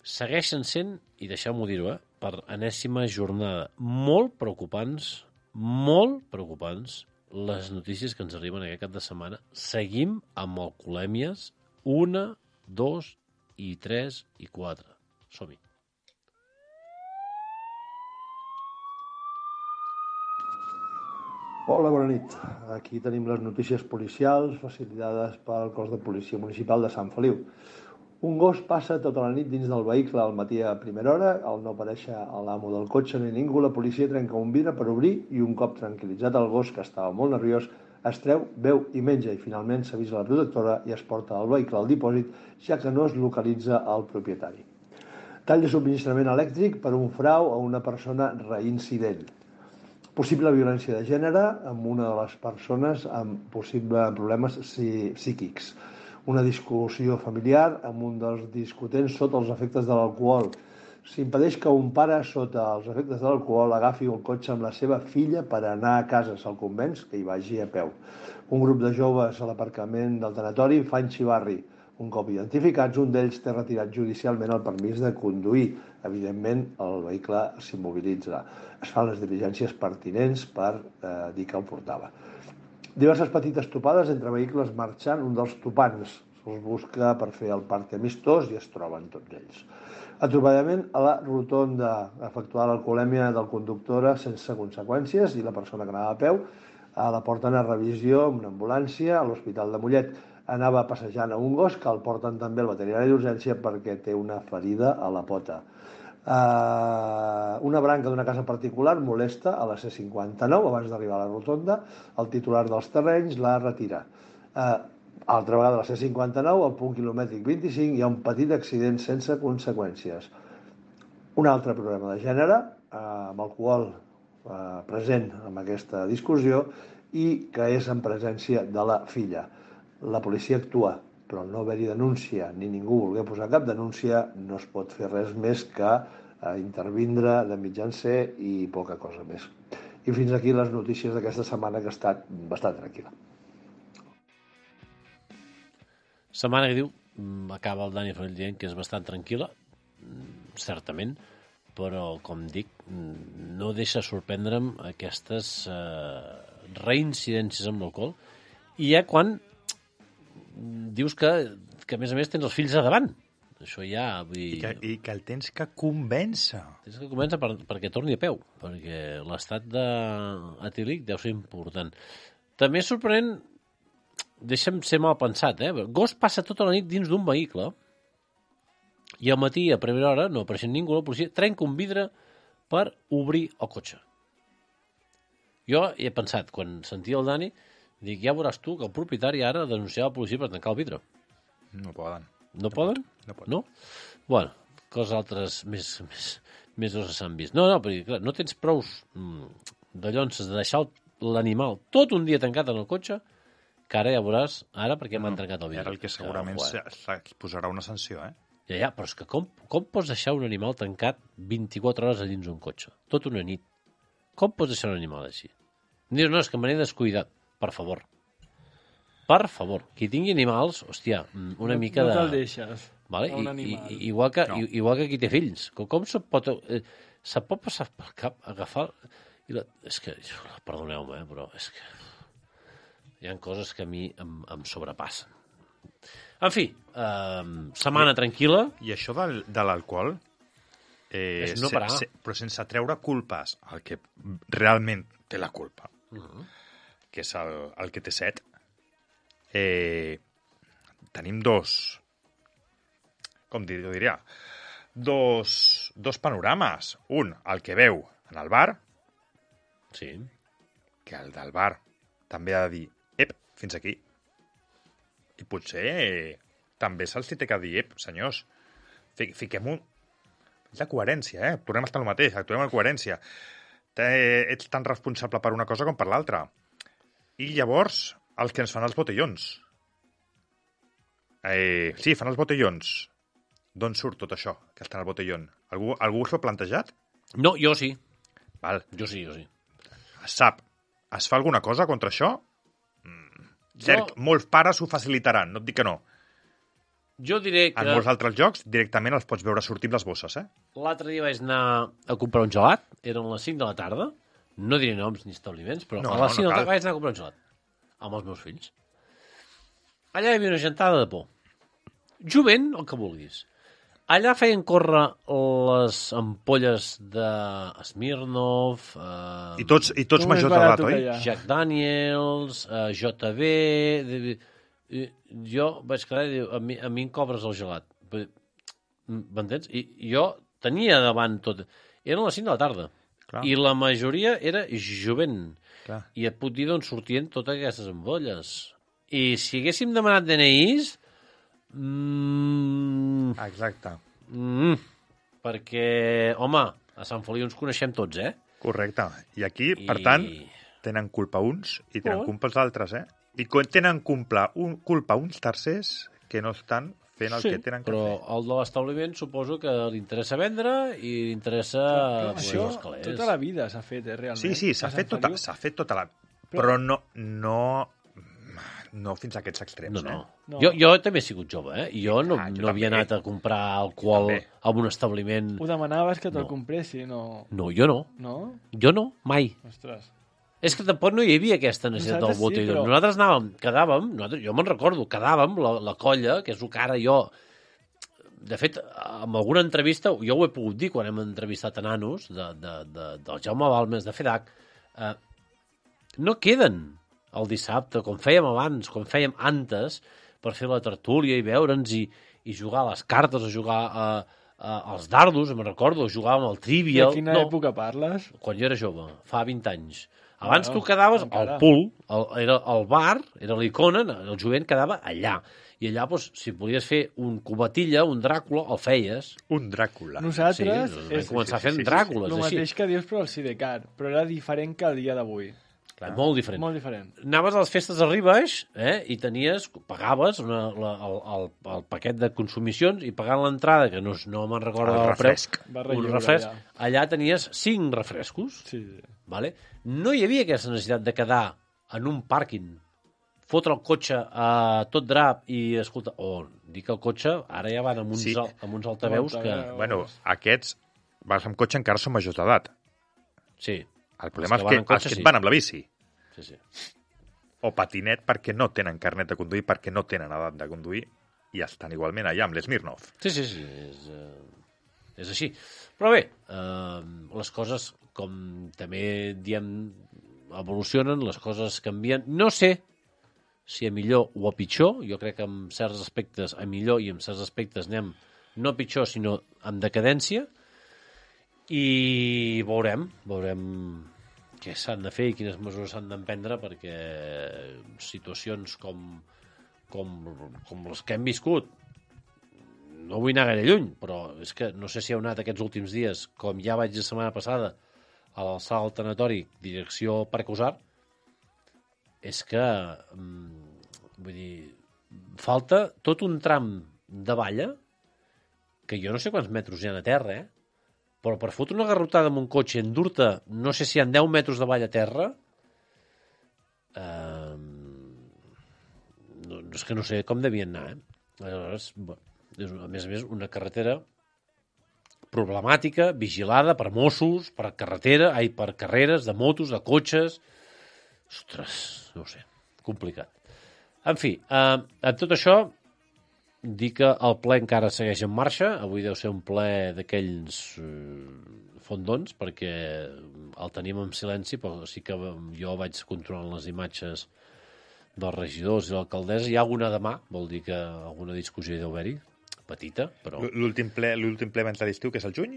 Segueixen sent, i deixeu-m'ho dir-ho, eh, per enèsima jornada, molt preocupants, molt preocupants, les notícies que ens arriben aquest cap de setmana. Seguim amb alcoholèmies una, dos i tres i quatre. Som-hi. Hola, bona nit. Aquí tenim les notícies policials facilitades pel cos de policia municipal de Sant Feliu. Un gos passa tota la nit dins del vehicle al matí a primera hora. Al no aparèixer a l'amo del cotxe ni ningú, la policia trenca un vidre per obrir i un cop tranquil·litzat el gos, que estava molt nerviós, es treu, beu i menja i finalment s'avisa la protectora i es porta el vehicle al dipòsit, ja que no es localitza el propietari. Tall de subministrament elèctric per un frau a una persona reincident. Possible violència de gènere amb una de les persones amb possibles problemes psíquics. Una discussió familiar amb un dels discutents sota els efectes de l'alcohol. S'impedeix que un pare sota els efectes de l'alcohol agafi el cotxe amb la seva filla per anar a casa. Se'l convenç que hi vagi a peu. Un grup de joves a l'aparcament del tanatori fan xivarri. Un cop identificats, un d'ells té retirat judicialment el permís de conduir. Evidentment, el vehicle s'immobilitza. Es fan les diligències pertinents per eh, dir que el portava. Diverses petites topades entre vehicles marxant, un dels topants se'ls busca per fer el parc amistós i es troben tots ells. Atropellament a la rotonda, efectuada l'alcoholèmia del conductora sense conseqüències i la persona que anava a peu a la porten a revisió amb una ambulància a l'Hospital de Mollet. Anava passejant a un gos que el porten també al veterinari d'urgència perquè té una ferida a la pota. Uh, una branca d'una casa particular molesta a la C cinquanta-nou abans d'arribar a la rotonda. El titular dels terrenys la retira. Uh, altra vegada a la C cinquanta-nou, al punt quilomètric vint-i-cinc, hi ha un petit accident sense conseqüències. Un altre problema de gènere, uh, amb alcohol uh, present en aquesta discussió i que és en presència de la filla. La policia actua, però al no haver-hi denúncia ni ningú voler posar cap denúncia, no es pot fer res més que eh, intervindre de mitjancer i poca cosa més. I fins aquí les notícies d'aquesta setmana, que ha estat bastant tranquil·la. Setmana que diu, acaba el Dani Fonell dient que és bastant tranquil·la, certament, però, com dic, no deixa sorprendre'm aquestes eh, reincidències amb l'alcohol. I ja quan dius que, que, a més a més, tens els fills a davant. Això ja... Vull dir, I, que, I que el tens que convèncer. tens que comença per, perquè torni a peu, perquè l'estat etílic deu ser important. També és sorprenent, deixa'm ser mal pensat, eh? Gos passa tota la nit dins d'un vehicle i al matí, a primera hora, no apareixent ningú, la policia trenca un vidre per obrir el cotxe. Jo he pensat, quan sentia el Dani, dic, ja veuràs tu que el propietari ara denunciava la policia per tancar el vidre. No poden. No, no poden? No poden. No? Bueno, coses altres més, més, més grosses s'han vist. No, no, perquè clar, no tens prous mm, de llonces de deixar l'animal tot un dia tancat en el cotxe, que ara ja veuràs, ara perquè m'han trencat el vidre. Ara el que segurament que, se, se posarà una sanció, eh? Ja, ja, però és que com, com pots deixar un animal tancat vint-i-quatre hores a dins un cotxe? Tot una nit. Com pots deixar un animal així? Em dius, no, és que me n'he descuidat. Per favor. per favor, qui tingui animals, hòstia, una no, mica no de... te'l deixes Vale? a un I, animal. i, igual, que, No. i, igual que qui té fills. Com, com se pot... Eh, se pot passar pel cap, agafar... I la, és que, perdoneu-me, eh, però és que hi ha coses que a mi em, em sobrepassen. En fi, eh, setmana tranquil·la. I això del, de l'alcohol, eh, És no parar. se, però sense treure culpes al que realment té la culpa, Uh-huh. que és el, el que té set, eh, tenim dos, com dir, jo diria, dos, dos panorames. Un, el que veu en el bar, Sí. que el del bar també ha de dir, ep, fins aquí. I potser eh, també se'ls té que dir, ep, senyors, fi, fiquem un... És la coherència, eh? Tornem a estar al mateix, actuem en coherència. Te, ets tan responsable per una cosa com per l'altra. I llavors, els que ens fan els botellons. Eh, sí, fan els botellons. D'on surt tot això, que estan al botellón? Algú, algú s'ho ha plantejat? No, jo sí. Val. Jo sí, jo sí. Es sap. Es fa alguna cosa contra això? Mm. Cert, Jo- molts pares ho facilitaran, no et dic que no. Jo diré que En molts altres jocs directament els pots veure sortir amb les bosses, eh? l'altre dia vaig anar a comprar un gelat, eren les cinc de la tarda, no diré noms ni establiments, però No, a no, les cinc no de la cal. tarda vaig anar a comprar un gelat amb els meus fills. Allà hi havia una gentada de por. Jovent, el que vulguis. Allà feien córrer les ampolles de Smirnoff, eh, I tots, i tots Com és majors barat d'edat, tot oi? allà? Jack Daniels, eh, J B... De, i jo vaig quedar i diu, a mi, a mi em cobres el gelat. M'entens? I jo tenia davant tot... Eren les cinc de la tarda. Clar. I la majoria era jovent. Clar. I et puc dir d'on sortien totes aquestes ampolles. I si haguéssim demanat D N Is... Mm, Exacte. mm, perquè, home, a Sant Feliu ens coneixem tots, eh? Correcte. I aquí, I... per tant, tenen culpa uns i tenen Oh. culpa els altres, eh? I co- tenen culpa, un, culpa uns tercers que no estan fent el Sí, que tenen que però fer. el de l'establiment suposo que li interessa vendre i li interessa Però pues, això els calés. tota la vida s'ha fet, eh, realment. Sí, sí, s'ha A Sant fet, tota, Feliu. s'ha fet tota la... Però- Però no, no, no fins a aquests extrems, No, no. eh? No. Jo, jo també he sigut jove, eh? I jo no, Ah, jo no havia també. anat a comprar alcohol també. a un establiment. Ho demanaves que te'l No. compressi, no? No, jo no. No? Jo no, mai. Ostres. És que tampoc no hi havia aquesta necessitat del Nosaltres sí, botellón. però- Nosaltres anàvem, quedàvem, nosaltres, jo me'n recordo, quedàvem, la, la colla, que és el que ara jo... De fet, en alguna entrevista, jo ho he pogut dir quan hem entrevistat a nanos de, de, de, del Jaume Balmes, de FEDAC, eh, no queden el dissabte, com fèiem abans, com fèiem antes, per fer la tertúlia i veure'ns i, i jugar a les cartes, a jugar a, a, als dardos, me'n recordo, jugàvem al I trivial... a quina no, època parles? quan jo era jove, fa vint anys. Abans Bueno, tu quedaves encara. al pool, el, era el bar, era l'icona, el jovent quedava allà. I allà, doncs, si volies fer un cubatilla, un Dràcula, el feies. Un Dràcula. Nosaltres sí, és vam començar sí, sí, fent sí, sí, Dràcules, el així. mateix que dius però al Sidecar, però era diferent que el dia d'avui. Clar, molt diferent. Molt diferent. Anaves a les festes de Ribes eh, i tenies, pagaves una, la, el, el, el paquet de consumicions i pagant l'entrada, que no, no me'n recordo El del preu, refresc. Barra un lliure, refresc, allà. allà tenies cinc refrescos. Sí, sí. Vale? No hi havia aquesta necessitat de quedar en un pàrquing, fotre el cotxe a tot drap i, escolta, o oh, dic el cotxe, ara ja van amb uns, Sí. sí. amb uns altaveus que... Altaveus. Bueno, aquests, vas amb cotxe encara són majors d'edat. Sí, El problema Els és que que, van en cotxe, els que sí. et van amb la bici sí, sí. o patinet perquè no tenen carnet de conduir, perquè no tenen edat de conduir i estan igualment allà amb l'Smirnoff. Sí, sí, sí, és, eh, és així. Però bé, eh, les coses, com també diem, evolucionen, les coses canvien. No sé si a millor o a pitjor, jo crec que en certs aspectes a millor i en certs aspectes anem no a pitjor, sinó amb decadència, i veurem, veurem què s'han de fer i quines mesures s'han d'emprendre perquè situacions com, com, com les que hem viscut, no vull anar gaire lluny, però és que no sé si heu anat aquests últims dies, com ja vaig la setmana passada, a l'alçada del tanatori, direcció Parc Usar, és que, mm, vull dir, falta tot un tram de valla, que jo no sé quants metres hi ha a terra, eh? Però per fotre una garrotada amb un cotxe, endur-te, no sé si hi ha deu metres de valla a terra, eh, és que no sé com devien anar, eh? Aleshores, bueno, és, a més a més, una carretera problemàtica, vigilada per Mossos, per carretera, ai, per carreres de motos, de cotxes... Ostres, no ho sé, complicat. En fi, eh, en tot això, dir que el ple encara segueix en marxa. Avui deu ser un ple d'aquells eh, fondons, perquè el tenim en silenci, però sí que jo vaig controlant les imatges dels regidors i l'alcaldessa. Hi ha alguna demà, vol dir que alguna discussió hi deu haver-hi, petita, però... L'últim ple, l'últim ple abans de l'estiu, que és el juny?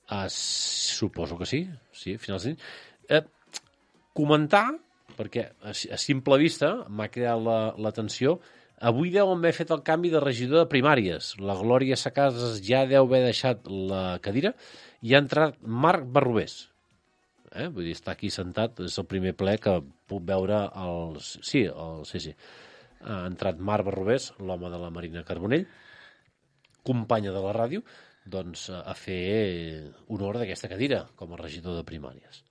Ah, suposo que sí, sí, a finals d'any. Eh, comentar, perquè a, a simple vista m'ha creat la, l'atenció, avui deuen haver fet el canvi de regidor de primàries. La Glòria Sacasas ja deu haver deixat la cadira i ha entrat Marc Barrubés. Eh? Vull dir, està aquí sentat, és el primer ple que puc veure els... Sí, el... sí, sí. Ha entrat Marc Barrubés, l'home de la Marina Carbonell, companya de la ràdio, doncs a fer honor d'aquesta cadira com a regidor de primàries.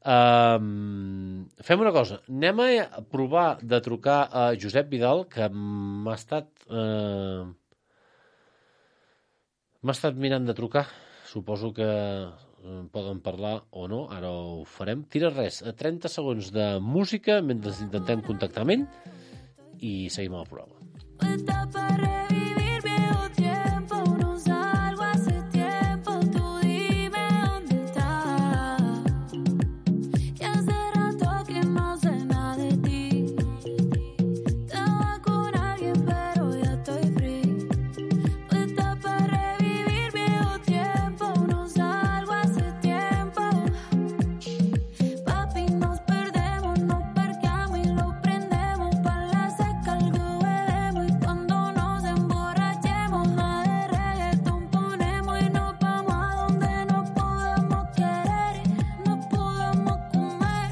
Um, fem una cosa, anem a provar de trucar a Josep Vidal, que m'ha estat uh, m'ha estat mirant de trucar. Suposo que poden parlar o no, ara ho farem. Tira res, a trenta segons de música mentre intentem contactar amb ell i seguim el programa. Está para revivir viejo tiempo, no salgo hace tiempo, tú dime dónde estás. Que hace rato que no sé nada de ti. Estaba con alguien pero ya estoy free. Está para revivir viejo tiempo, no salgo hace tiempo. Papi, nos perdemos, nos parqueamos y lo prendemos para la seca algo. Y cuando nos emborrachemos, nada de reggaetón ponemos y nos vamos a donde nos podamos querer y nos podamos comer.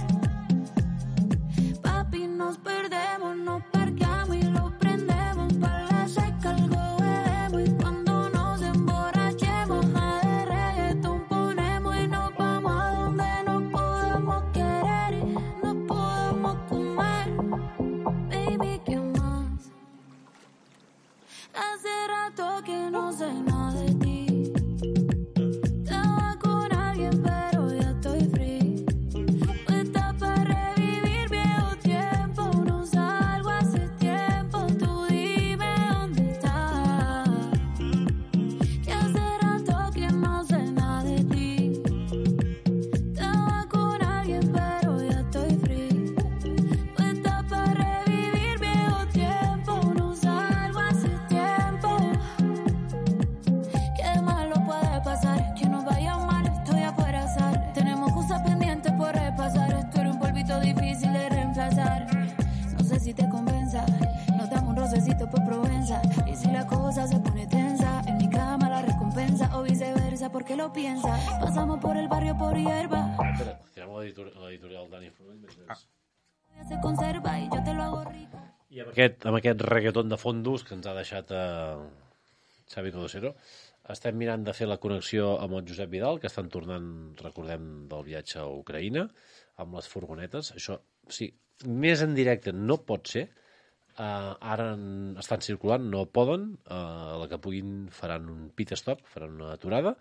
Papi, nos perdemos, nos parqueamos y lo prendemos para la seca algo bebemos. Y cuando nos emborrachemos, nada de reggaetón ponemos y nos vamos a donde nos podamos querer y nos podamos comer. Baby, ¿qué más? Hace rato que no sé nada de ti. Estaba con alguien pero ya estoy free. Está para revivir viejo tiempo, no salgo hace tiempo, tú dime dónde estás. Que hace rato que no sé nada de ti. Estaba con alguien pero ya estoy free. Está para revivir viejo tiempo, no salgo hace tiempo. Qué malo puede pasar, que nos vaya mal, estoy afuera sal. Tenemos cosas pendientes por repasar, esto era un polvito difícil de reemplazar. No sé si te convenza, nos damos un rocecito por Provenza. Y si la cosa se pone tensa, en mi cama la recompensa o viceversa, ¿por qué lo piensa? Pasamos por el barrio por hierba, Espera, tirem l'editor- l'editorial Dani Fonoll. mentre- se conserva y yo te lo hago rico. I amb aquest, amb aquest reggaeton de fondos que ens ha deixat eh, Xavi Codosero, estem mirant de fer la connexió amb el Josep Vidal, que estan tornant, recordem, del viatge a Ucraïna, amb les furgonetes. Això, sí, més en directe no pot ser. Uh, ara en- estan circulant, no poden. Uh, la que puguin faran un pit stop, faran una aturada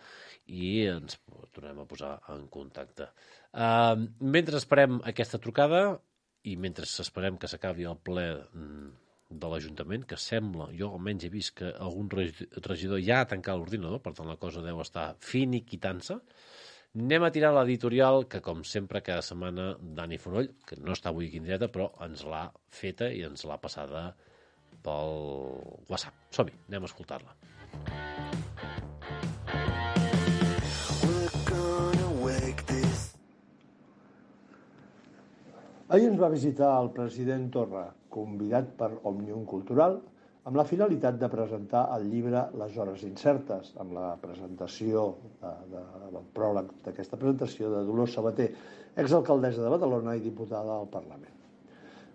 i ens tornem a posar en contacte. Uh, mentre esperem aquesta trucada i mentre esperem que s'acabi el ple mm, de l'Ajuntament, que sembla, jo almenys he vist que algun regi- regidor ja ha tancat l'ordinador, per tant la cosa deu estar finiquitant-se, anem a tirar l'editorial que, com sempre, cada setmana Dani Fonoll, que no està avui aquí en directe, però ens l'ha feta i ens l'ha passada pel WhatsApp. Som-hi, anem a escoltar-la. Ahir ens va visitar el president Torra, convidat per Òmnium Cultural, amb la finalitat de presentar el llibre Les hores incertes, amb la presentació, de, de, el pròleg d'aquesta presentació de Dolors Sabater, exalcaldessa de Badalona i diputada al Parlament.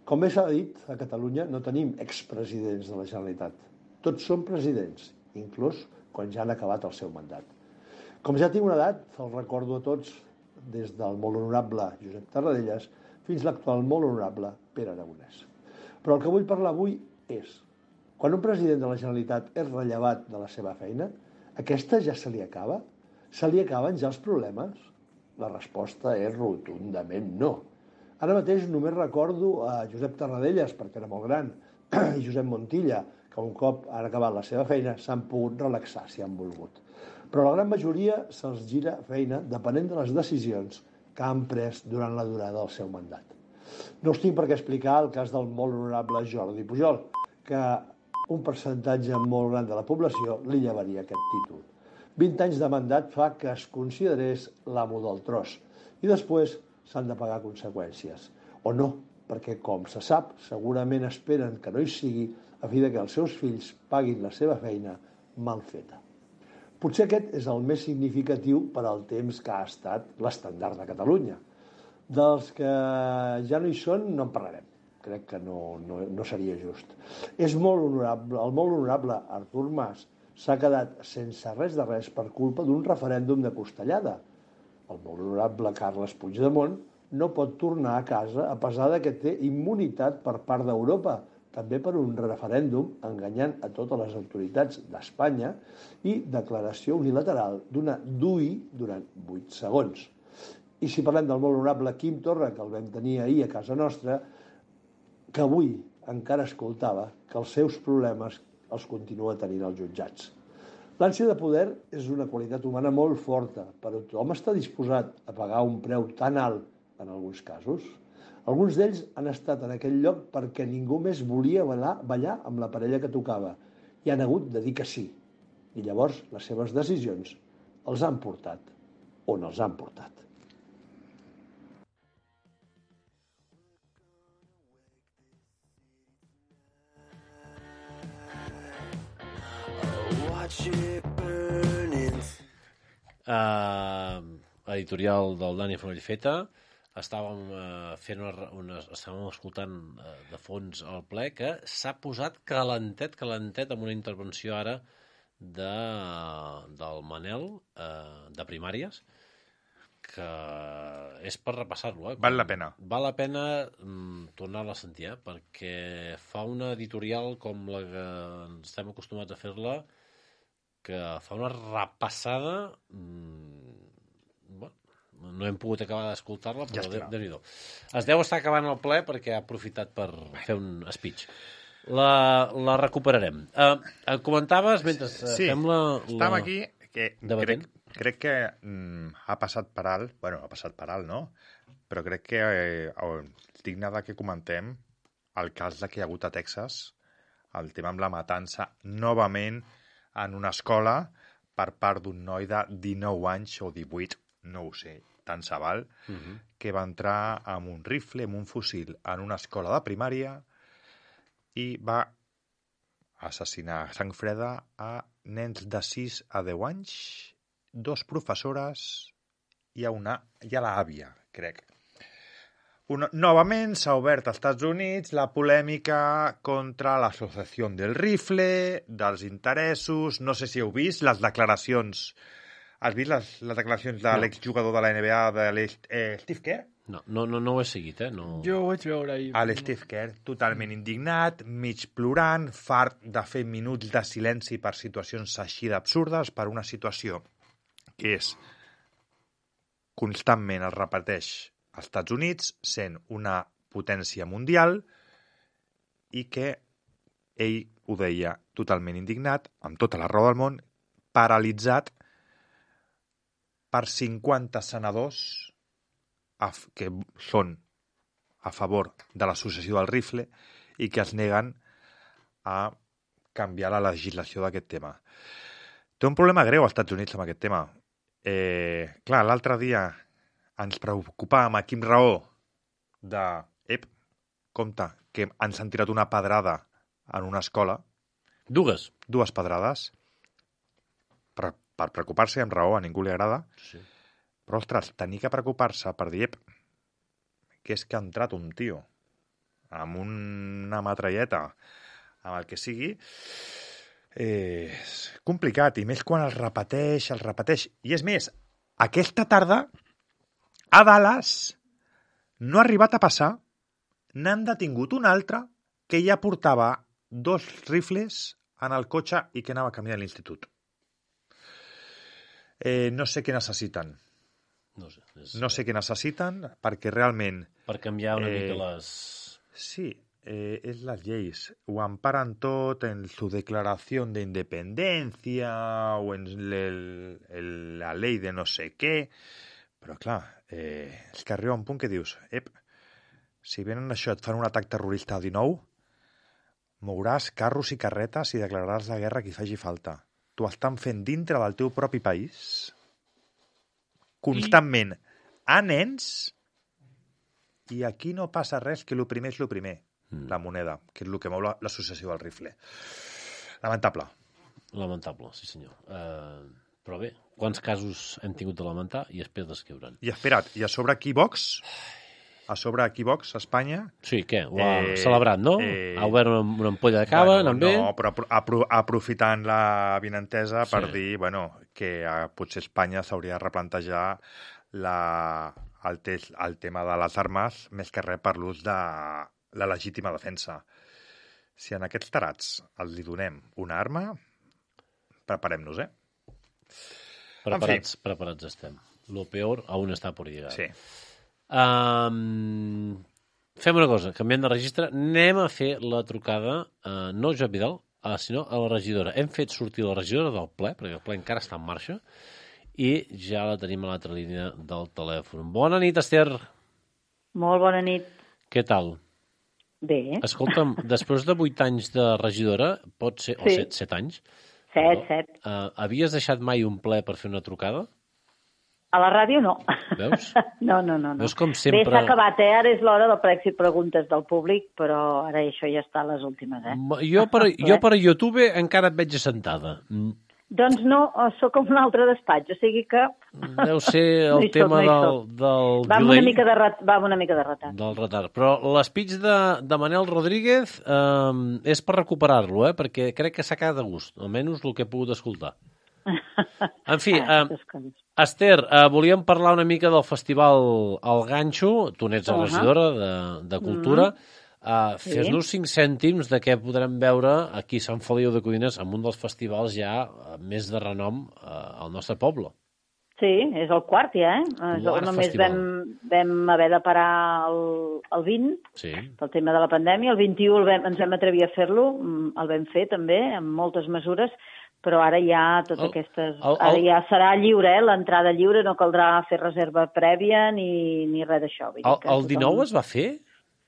Com bé s'ha dit, a Catalunya no tenim expresidents de la Generalitat. Tots són presidents, inclús quan ja han acabat el seu mandat. Com ja tinc una edat, el recordo a tots, des del molt honorable Josep Tarradellas fins l'actual molt honorable Pere Aragonès. Però el que vull parlar avui és, quan un president de la Generalitat és rellevat de la seva feina, aquesta ja se li acaba? Se li acaben ja els problemes? La resposta és rotundament no. Ara mateix només recordo a Josep Tarradellas, perquè era molt gran, i Josep Montilla, que un cop han acabat la seva feina s'han pogut relaxar si han volgut. Però la gran majoria se'ls gira feina depenent de les decisions que han pres durant la durada del seu mandat. No us tinc per què explicar el cas del molt honorable Jordi Pujol, que un percentatge molt gran de la població li llevaria aquest títol. vint anys de mandat fa que es considerés l'amo del tros i després s'han de pagar conseqüències. O no, perquè, com se sap, segurament esperen que no hi sigui a fi de que els seus fills paguin la seva feina mal feta. Potser aquest és el més significatiu per al temps que ha estat l'estandard de Catalunya. Dels que ja no hi són no en parlarem. Crec que no, no, no seria just. És molt honorable, el molt honorable Artur Mas s'ha quedat sense res de res per culpa d'un referèndum de costellada. El molt honorable Carles Puigdemont no pot tornar a casa a pesar de que té immunitat per part d'Europa, també per un referèndum enganyant a totes les autoritats d'Espanya i declaració unilateral d'una D U I durant vuit segons. I si parlem del molt honorable Quim Torra, que el vam tenir ahir a casa nostra, que avui encara escoltava que els seus problemes els continua tenint els jutjats. L'ànsia de poder és una qualitat humana molt forta, però tothom està disposat a pagar un preu tan alt en alguns casos. Alguns d'ells han estat en aquell lloc perquè ningú més volia ballar, ballar amb la parella que tocava i han hagut de dir que sí. I llavors les seves decisions els han portat on els han portat. Uh, editorial del Dani Fonoll Feta. Estàvem uh, fent una, una, estàvem escoltant uh, de fons el ple que s'ha posat calentet, calentet amb una intervenció ara de, del Manel uh, de primàries, que és per repassar-lo. Eh? Val la pena. Val la pena mm, tornar-la a sentir, eh? Perquè fa una editorial com la que estem acostumats a fer-la, que fa una repassada, mmm, bueno, no hem pogut acabar d'escoltar-la, però ja Déu-n'hi-do. Es deu estar acabant el ple perquè ha aprofitat per fer un speech. La, la recuperarem. Uh, comentaves, mentre uh, sí, fem la... Estem aquí, que crec, crec que mm, ha passat per alt, bueno, ha passat per alt, no? Però crec que eh, digne de que comentem el cas de que hi ha hagut a Texas, el tema amb la matança, novament en una escola per part d'un noi de dinou anys o divuit, no ho sé, tant se val, uh-huh. que va entrar amb un rifle, amb un fusil, en una escola de primària i va assassinar a sang freda a nens de sis a deu anys, dos professores i a, una, i a l'àvia, crec. Una, novament s'ha obert als Estats Units la polèmica contra l'associació del rifle, dels interessos, no sé si heu vist les declaracions. Has vist les, les declaracions de no. l'exjugador de la N B A, de eh, Steve Kerr? No, no, no, no ho he seguit, eh? No... Jo ho vaig veure ahir. A l'Steve Kerr, totalment indignat, mig plorant, fart de fer minuts de silenci per situacions així d'absurdes, per una situació que és constantment es repeteix als Estats Units, sent una potència mundial, i que ell ho deia totalment indignat, amb tota la raó del món, paralitzat per cinquanta senadors que són a favor de l'associació del rifle i que es neguen a canviar la legislació d'aquest tema. Té un problema greu als Estats Units amb aquest tema. Eh, clar, l'altre dia ens preocupàvem a Quim Raó de, ep, compte, que ens han tirat una pedrada en una escola. Dues. Dues pedrades. Per, per preocupar-se amb raó, a ningú li agrada. Sí. Però, ostres, tenir que preocupar-se per dir, ep, que és que ha entrat un tio amb una matralleta, amb el que sigui, eh, és complicat, i més quan el repeteix, el repeteix. I és més, aquesta tarda, a Dallas, no ha arribat a passar, n'han detingut un altre que ja portava dos rifles en el cotxe i que anava a camí a l'institut. Eh, no sé què necessiten. No sé. És, No sé què necessiten, perquè realment... Per canviar una eh, mica les... Sí, eh, es las lleis. Ho amparan tot en su declaración de independencia o en el, el, la ley de no sé què. Però, clar, eh, és que arriba un punt que dius, ep, si venen això et fan un atac terrorista a dinou, mouràs carros i carretes i declararàs la guerra a qui faci falta. T'ho estan fent dintre del teu propi país, constantment, a nens, i aquí no passa res, que el primer és el primer, mm. la moneda, que és el que mou la- l'associació del rifle. Lamentable. Lamentable, sí senyor. Uh, però bé, quants casos hem tingut de lamentar i després descriure'n. I espera't, i a sobre Equivox, a sobre Equivox, Espanya... Sí, què? Ho ha Eh, celebrat, no? eh, ha obert una, una ampolla de cava, bueno, anant bé? No, però apro apro aprofitant la vinentesa per Sí. dir, bueno, que eh, potser Espanya s'hauria de replantejar la, el, te el tema de les armes més que res per l'ús de la legítima defensa. Si en aquests tarats els li donem una arma, preparem-nos, eh? Preparats, preparats estem. Lo peor aún està por llegar. Sí. Um, fem una cosa, canviem de registre, anem a fer la trucada, uh, no a Joan Vidal, uh, sinó a la regidora. Hem fet sortir la regidora del ple, perquè el ple encara està en marxa, i ja la tenim a l'altra línia del telèfon. Bona nit, Esther. Molt bona nit. Què tal? Bé. Escolta'm, després de vuit anys de regidora, pot ser, o Sí. set, set anys, Set, set. uh, havies deixat mai un ple per fer una trucada? A la ràdio no. Veus? No, no, no. no. Veus com Bé, sempre... s'ha acabat, eh? Ara és l'hora del prec i preguntes del públic, però ara això ja està a les últimes, eh? Jo per, jo per YouTube encara et veig assentada. Mm, Doncs no, sóc com un altre despatx, o sigui que... Deu ser el No hi soc, tema no hi del, soc. del Va amb una delay, mica de, ret... va amb una mica de retard. del retard. Però l'espeig de, de Manel Rodríguez eh, és per recuperar-lo, eh? Perquè crec que s'ha quedat de gust, almenys el que he pogut escoltar. En fi, eh, Aquestes coses. Esther, eh, volíem parlar una mica del festival El Ganxo, tu n'ets la Ahà. regidora de, de Cultura. Uh, Sí. Fes-nos cinc cèntims de què podrem veure aquí a Sant Feliu de Codines, amb un dels festivals ja eh, més de renom uh, al nostre poble. Sí, és el quart ja, eh? És- Quart Només festival. vam, vam haver de parar el, el vint, Sí. pel tema de la pandèmia. El vint-i-u el vam, ens vam atrevir a fer-lo, mm, el vam fer també, amb moltes mesures, però ara ja totes El- aquestes... el- Ara el- ja serà lliure, eh? L'entrada lliure, no caldrà fer reserva prèvia ni, ni res d'això. Vull dir El, que el tothom- dinou es va fer?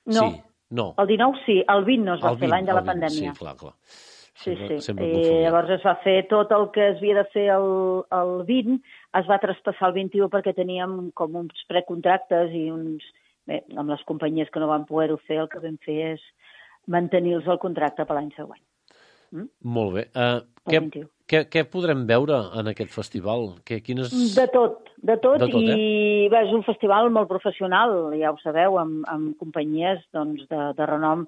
No. Sí. No. El dinou sí, el vint no es va El fer, vint, l'any de la el vint, pandèmia. Sí, clar, clar. Sí, Sempre- sí. sempre I confonia. llavors es va fer tot el que es havia de fer el, el vint, es va traspassar el vint-i-u perquè teníem com uns precontractes i uns... Bé, amb les companyies que no van poder-ho fer, el que vam fer és mantenir-los el contracte per l'any següent. Molt bé. Uh, El què, vint-i-u. què, què podrem veure en aquest festival? Que, quines... De tot, de tot, De tot, eh? i bé, és un festival molt professional, ja ho sabeu, amb, amb companyies doncs, de, de renom.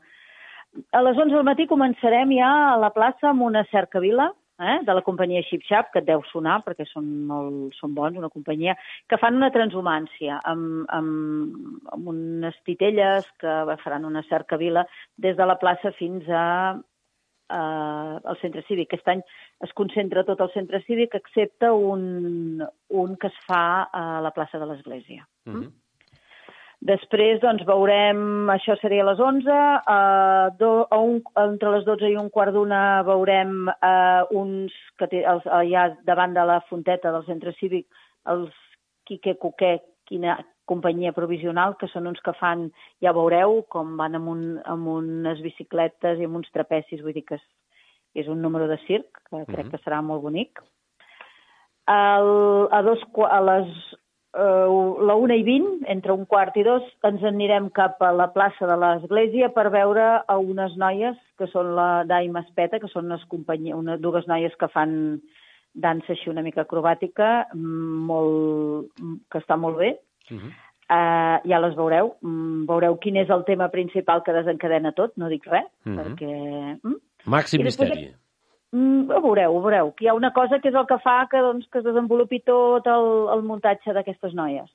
A les onze del matí començarem ja a la plaça amb una cercavila, eh, de la companyia Xip Xap, que et deu sonar perquè són, molt, són bons, una companyia, que fan una transhumància amb, amb, amb unes titelles que faran una cercavila des de la plaça fins a eh, al centre cívic. Aquest any es concentra tot el centre cívic excepte un, un que es fa a la plaça de l'Església. Mhm. Després, doncs, veurem, això seria a les onze, a do, a un, entre les dotze i un quart d'una veurem eh, uns, que té, els, allà davant de la fonteta del centre cívic, els Quique Cuqué, quina companyia provisional, que són uns que fan, ja veureu, com van amb, un, amb unes bicicletes i amb uns trapecis, vull dir que és, és un número de circ, que crec Mhm. que serà molt bonic. El, a, dos, qua- a les uh, la una i vint, entre un quart i dos, ens anirem cap a la plaça de l'Església per veure a unes noies, que són la Daima Espeta, que són unes companyia, una, dues noies que fan dansa així una mica acrobàtica, molt, que està molt bé. Mhm. Uh, ja les veureu. Mm, veureu quin és el tema principal que desencadena tot, no dic res, Mhm. perquè... Mm? Màxim I després- misteri. Mm, ho veureu, ho veureu. Que hi ha una cosa que és el que fa que, doncs, que es desenvolupi tot el, el muntatge d'aquestes noies.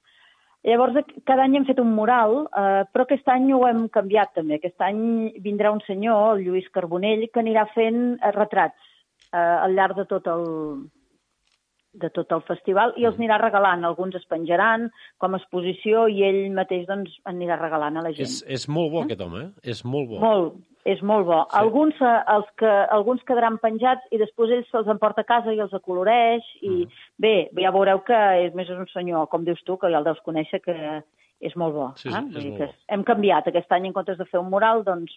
Llavors, cada any hem fet un mural, eh, però aquest any ho hem canviat també. Aquest any vindrà un senyor, el Lluís Carbonell, que anirà fent eh, retrats eh, al llarg de tot el de tot el festival i els anirà regalant. Alguns es penjaran com a exposició i ell mateix doncs, anirà regalant a la gent. És, és molt bo, aquest home, eh? És molt bo. Molt, és molt bo. Sí. Alguns, eh, els que, alguns quedaran penjats i després ell se'ls emporta a casa i els acoloreix i mm. bé, ja veureu que és més un senyor, com dius tu, que ja el deus conèixer, que és molt bo. Sí, eh? és Vull dir molt que bo. hem canviat aquest any, en comptes de fer un mural, doncs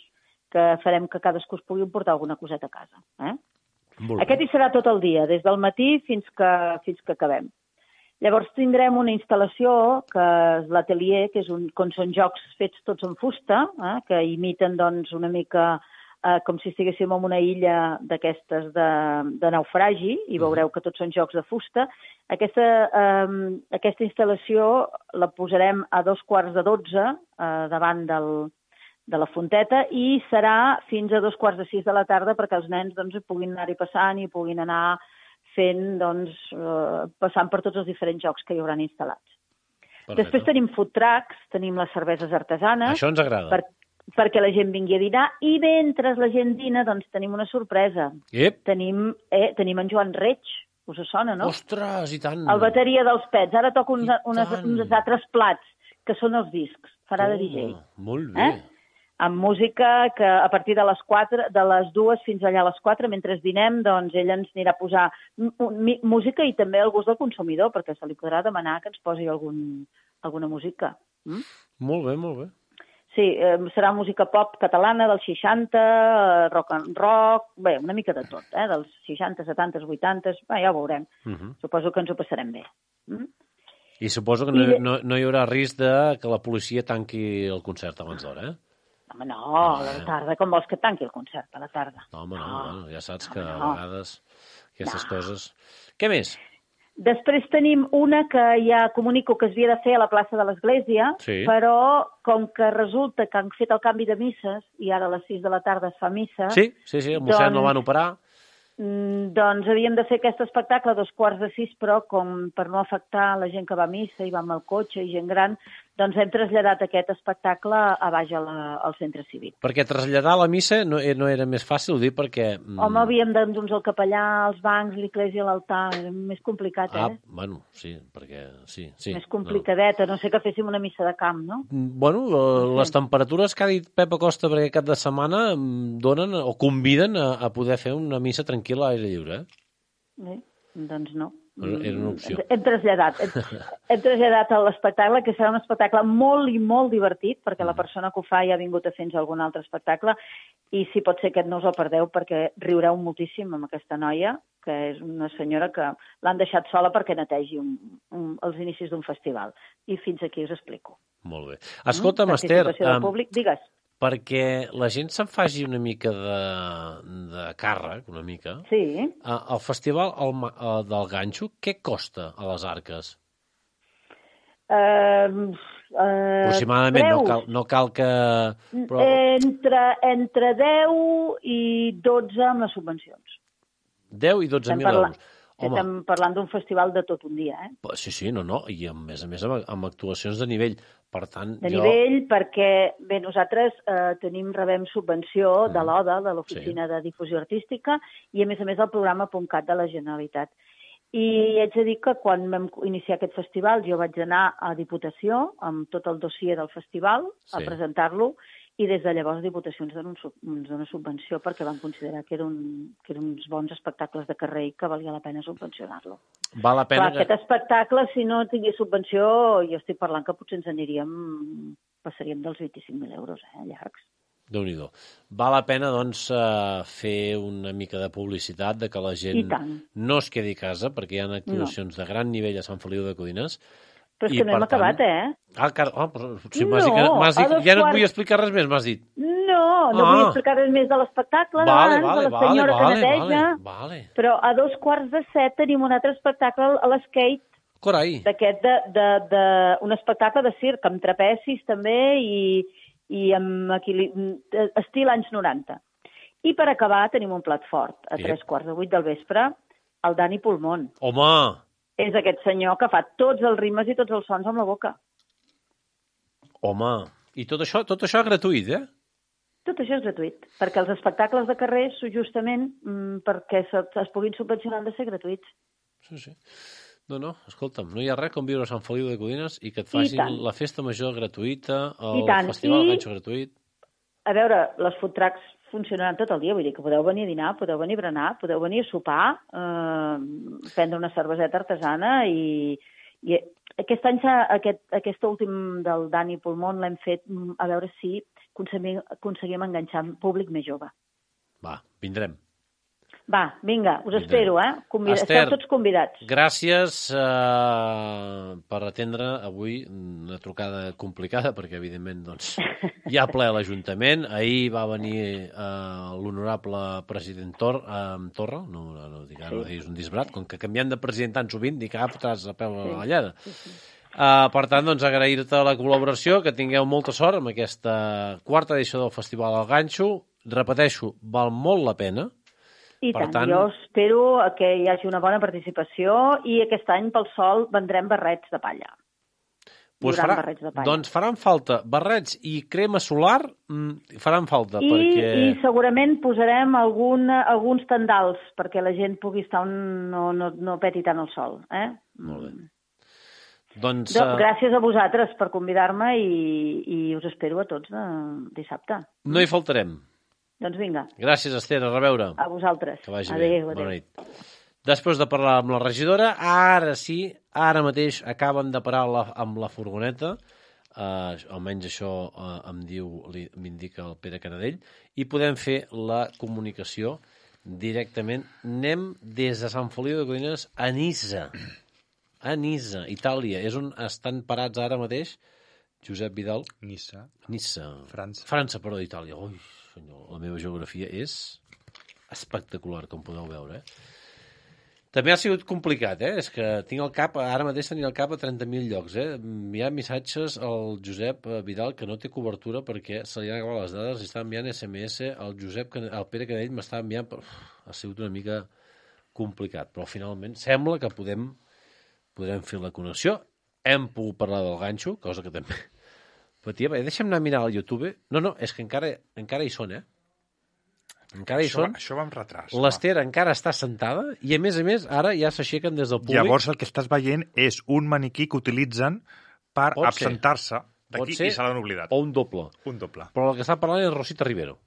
que farem que cadascú es pugui emportar alguna coseta a casa. Eh? Molt Aquest bé. hi serà tot el dia, des del matí fins que, fins que acabem. Llavors tindrem una instal·lació, que és l'atelier, que és un, com són jocs fets tots en fusta, eh, que imiten doncs, una mica eh, com si estiguéssim en una illa d'aquestes de, de naufragi, i veureu que tots són jocs de fusta. Aquesta, eh, aquesta instal·lació la posarem a dos quarts de dotze eh, davant del, de la fonteta i serà fins a dos quarts de sis de la tarda perquè els nens doncs, puguin anar-hi passant i puguin anar fent, doncs, eh, passant per tots els diferents jocs que hi hauran instal·lats. Perfecte. Després tenim food trucks, tenim les cerveses artesanes. Això ens agrada. Per, perquè la gent vingui a dinar i mentre la gent dina doncs tenim una sorpresa. Ep. Tenim, eh, tenim en Joan Reig, us sona, no? Ostres, i tant. El bateria dels Pets. Ara toca uns, I unes, tant. uns altres plats, que són els discs. Farà de D J. Oh, molt bé. Eh? Amb música que a partir de les quatre, de les dues fins allà a les quatre, mentre dinem, doncs ell ens anirà a posar m- música i també el gust del consumidor, perquè se li podrà demanar que ens posi algun, alguna música. Mm? Molt bé, molt bé. Sí, eh, serà música pop catalana dels seixanta, eh, rock and rock, bé, una mica de tot, eh, dels seixanta, setanta, vuitanta, bé, ja ho veurem. Uh -huh. Suposo que ens ho passarem bé. Mm? I suposo que no, no, no hi haurà risc de que la policia tanqui el concert abans d'hora, eh? Home, no, a la tarda, com vols que tanqui el concert, a la tarda. No, home, no, No. bueno, ja saps que Home, a no. vegades aquestes No. coses... Què més? Després tenim una que ja comunico que es havia de fer a la plaça de l'Església, Sí. però com que resulta que han fet el canvi de misses i ara a les sis de la tarda es fa missa, Sí, sí, sí, el mossèn doncs- el van operar. mm, doncs havíem de fer aquest espectacle a dos quarts de sis, però com per no afectar la gent que va a missa i va amb el cotxe i gent gran, doncs hem traslladat aquest espectacle a baix a la, al centre cívic. Perquè traslladar la missa no, eh, no era més fàcil, ho dic perquè... mm, Home, havíem d'endur el capellà, els bancs, l'església, l'altar, era més complicat, Ah, eh? bueno, sí, perquè... Sí, sí. Més complicadeta, no sé que féssim una missa de camp, no? No. Bueno, eh, les temperatures que ha dit Pep Acosta per aquest cap de setmana mm, donen o conviden a, a poder fer una missa tranquil·la a l'aire lliure, eh? Bé, doncs no. Era una opció. Hem, hem traslladat, hem, hem traslladat a l'espectacle, que serà un espectacle molt i molt divertit, perquè la persona que ho fa ja ha vingut a fer-nos algun altre espectacle, i si pot ser aquest no us el perdeu, perquè riureu moltíssim amb aquesta noia, que és una senyora que l'han deixat sola perquè netegi un, un, els inicis d'un festival. I fins aquí us explico. Molt bé. Escolta'm, Mm, Esther, participació del em, públic, digues. perquè la gent se'n faci una mica de, de càrrec, una mica, Sí. eh, el festival el, Ma- eh, del Ganxo, què costa a les Arques? Eh, eh, Aproximadament, no preus? cal, no cal que... Però, Entre, entre deu i dotze amb les subvencions. deu i dotze Estem, mil parla... euros. Home, Estem parlant d'un festival de tot un dia, eh? sí, sí, no, no, i a més a més amb, amb actuacions de nivell. Per tant, De jo... nivell, perquè bé, nosaltres eh, tenim, rebem subvenció de l'O D A, de l'Oficina Sí. de Difusió Artística, i a més a més el programa .cat de la Generalitat. I haig de dir que quan vam iniciar aquest festival jo vaig anar a Diputació amb tot el dossier del festival a Sí. presentar-lo, i des de llavors Diputació ens dona, un, sub- ens dona subvenció perquè van considerar que, era un, que eren uns bons espectacles de carrer i que valia la pena subvencionar-lo. Val la pena Clar, aquest espectacle, si no tingués subvenció, jo estic parlant que potser ens aniríem, passaríem dels vint-i-cinc mil euros, eh, llargs. Déu-n'hi-do. Val la pena, doncs, eh, fer una mica de publicitat de que la gent I tant. no es quedi a casa, perquè hi ha actuacions no. de gran nivell a Sant Feliu de Codines. Però és I, que no hem per tant- acabat, eh? Ah, car... oh, però, sí, No, m'has dit que, m'has dit, a dos ja no et quarts- vull explicar res més, m'has dit. No, no Ah. vull explicar res més de l'espectacle Vale, d'abans, vale, de la vale, senyora vale, que neteja, vale, vale. però a dos quarts de set tenim un altre espectacle a l'Skate, Corai. d'aquest de, de, de, un espectacle de circ, amb trapezis també i, i amb equili... estil anys noranta. I per acabar tenim un plat fort, a Ep. tres quarts de vuit del vespre, el Dani Pulmón. Home, És aquest senyor que fa tots els ritmes i tots els sons amb la boca. Home, i tot això, tot això gratuït, eh? Tot això és gratuït, perquè els espectacles de carrer, justament, mm, perquè se, es puguin subvencionar, han de ser gratuïts. Sí, sí. No, no, escolta'm, no hi ha res com viure a Sant Feliu de Codines i que et I facin tant. la festa major gratuïta, I el tant. festival I- de ganxo gratuït. A veure, les food trucks funcionaran tot el dia, vull dir que podeu venir a dinar, podeu venir a berenar, podeu venir a sopar, eh, prendre una cerveseta artesana i, i aquest any, s'ha- aquest, aquest últim del Dani Pulmón l'hem fet mm, a veure si aconseguim, aconseguim enganxar públic més jove. Va, vindrem. Va, vinga, us Vindrem. espero, eh? Convida, Esther. Esteu tots convidats. Gràcies eh, per atendre avui una trucada complicada, perquè, evidentment, doncs, hi ha ple a l'Ajuntament. Ahir va venir eh, l'honorable president Tor, eh, Torra, no, no, no dic ara, sí. És un disbrat, com que canviant de president tan sovint, dic, ah, fotràs a peu a la llada. Sí, sí. Uh, per tant, doncs, agrair-te la col·laboració, que tingueu molta sort amb aquesta quarta edició del Festival del Ganxo. Repeteixo, val molt la pena. I Per tant, tant- jo espero que hi hagi una bona participació i aquest any pel sol vendrem barrets de palla. Pues Hi haurà farà, barrets de palla. doncs faran falta barrets i crema solar, mm, faran falta, I, perquè... I segurament posarem algun, alguns tendals perquè la gent pugui estar on no, no, no peti tant el sol. Eh? Molt bé. Doncs, Do, eh, gràcies a vosaltres per convidar-me i, i us espero a tots de dissabte. no hi faltarem. Doncs vinga, Gràcies, Esther, a reveure. a vosaltres. Que vagi adéu, bé. adéu. Bona nit. Després de parlar amb la regidora, ara sí, ara mateix acaben de parar la, amb la furgoneta, eh, almenys això eh, em diu, li- m'indica el Pere Canadell, i podem fer la comunicació directament. Anem des de Sant Feliu de Codines a Niça. A Niça, Itàlia. És on estan parats ara mateix Josep Vidal. Niça. Niça. França. França, però d'Itàlia. Ui, senyor, la meva geografia és espectacular, com podeu veure. Eh? També ha sigut complicat, eh? És que tinc el cap, ara mateix tenia el cap a trenta mil llocs, eh? Hi ha missatges al Josep Vidal que no té cobertura perquè se li han acabat les dades i està enviant S M S al Josep, Can- al Pere Canell m'està enviant, però uf, ha sigut una mica complicat, però finalment sembla que podem, podrem fer la connexió. Hem pogut parlar del ganxo, cosa que també patia. Bé, deixa'm anar a mirar al YouTube. No, no, és que encara, encara hi són, eh? Encara hi Això, són. això va amb retras. L'Ester encara està sentada i, a més a més, ara ja s'aixequen des del públic. Llavors el que estàs veient és un maniquí que utilitzen per Pot ser. absentar-se Pot d'aquí ser, i se l'han oblidat. o un doble. Un doble. Però el que està parlant és Rosita Rivero,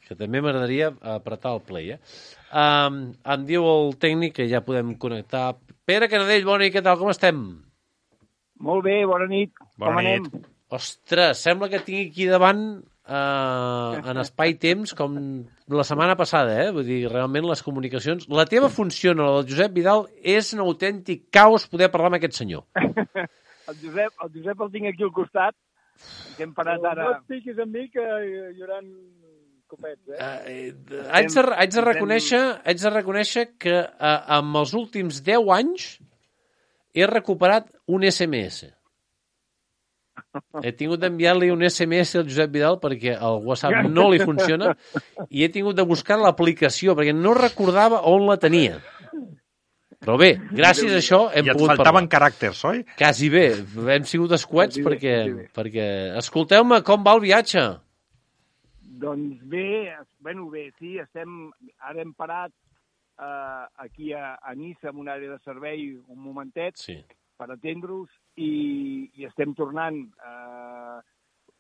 que també m'agradaria apretar el play. Eh? Um, em diu el tècnic que ja podem connectar. Pere Canadell, bona nit, què tal, com estem? Molt bé, bona nit. Bona Com nit. anem? Ostres, sembla que tinc aquí davant uh, en espai-temps com la setmana passada, eh? Vull dir, realment les comunicacions... La teva funciona, la del Josep Vidal, és un autèntic caos poder parlar amb aquest senyor. El Josep, el Josep el tinc aquí al costat, que hem parat ara... No et piquis amb mi, que hi haurà copets, eh? Uh, haig, de, haig, de reconèixer, haig de reconèixer que uh, amb els últims deu anys he recuperat un S M S. He tingut d'enviar-li un S M S al Josep Vidal perquè el WhatsApp no li funciona i he tingut de buscar l'aplicació perquè no recordava on la tenia. Però bé, gràcies a això hem I et pogut faltaven parlar. caràcters, oi? Quasi bé, hem sigut escuets Quasi bé, perquè, quasi bé. perquè... Escolteu-me, com va el viatge? Doncs bé, es- bueno, bé, sí, estem... Ara hem parat eh, aquí a, a Niça, en una àrea de servei, un momentet, Sí. per atendre-us, i, i estem tornant. Eh,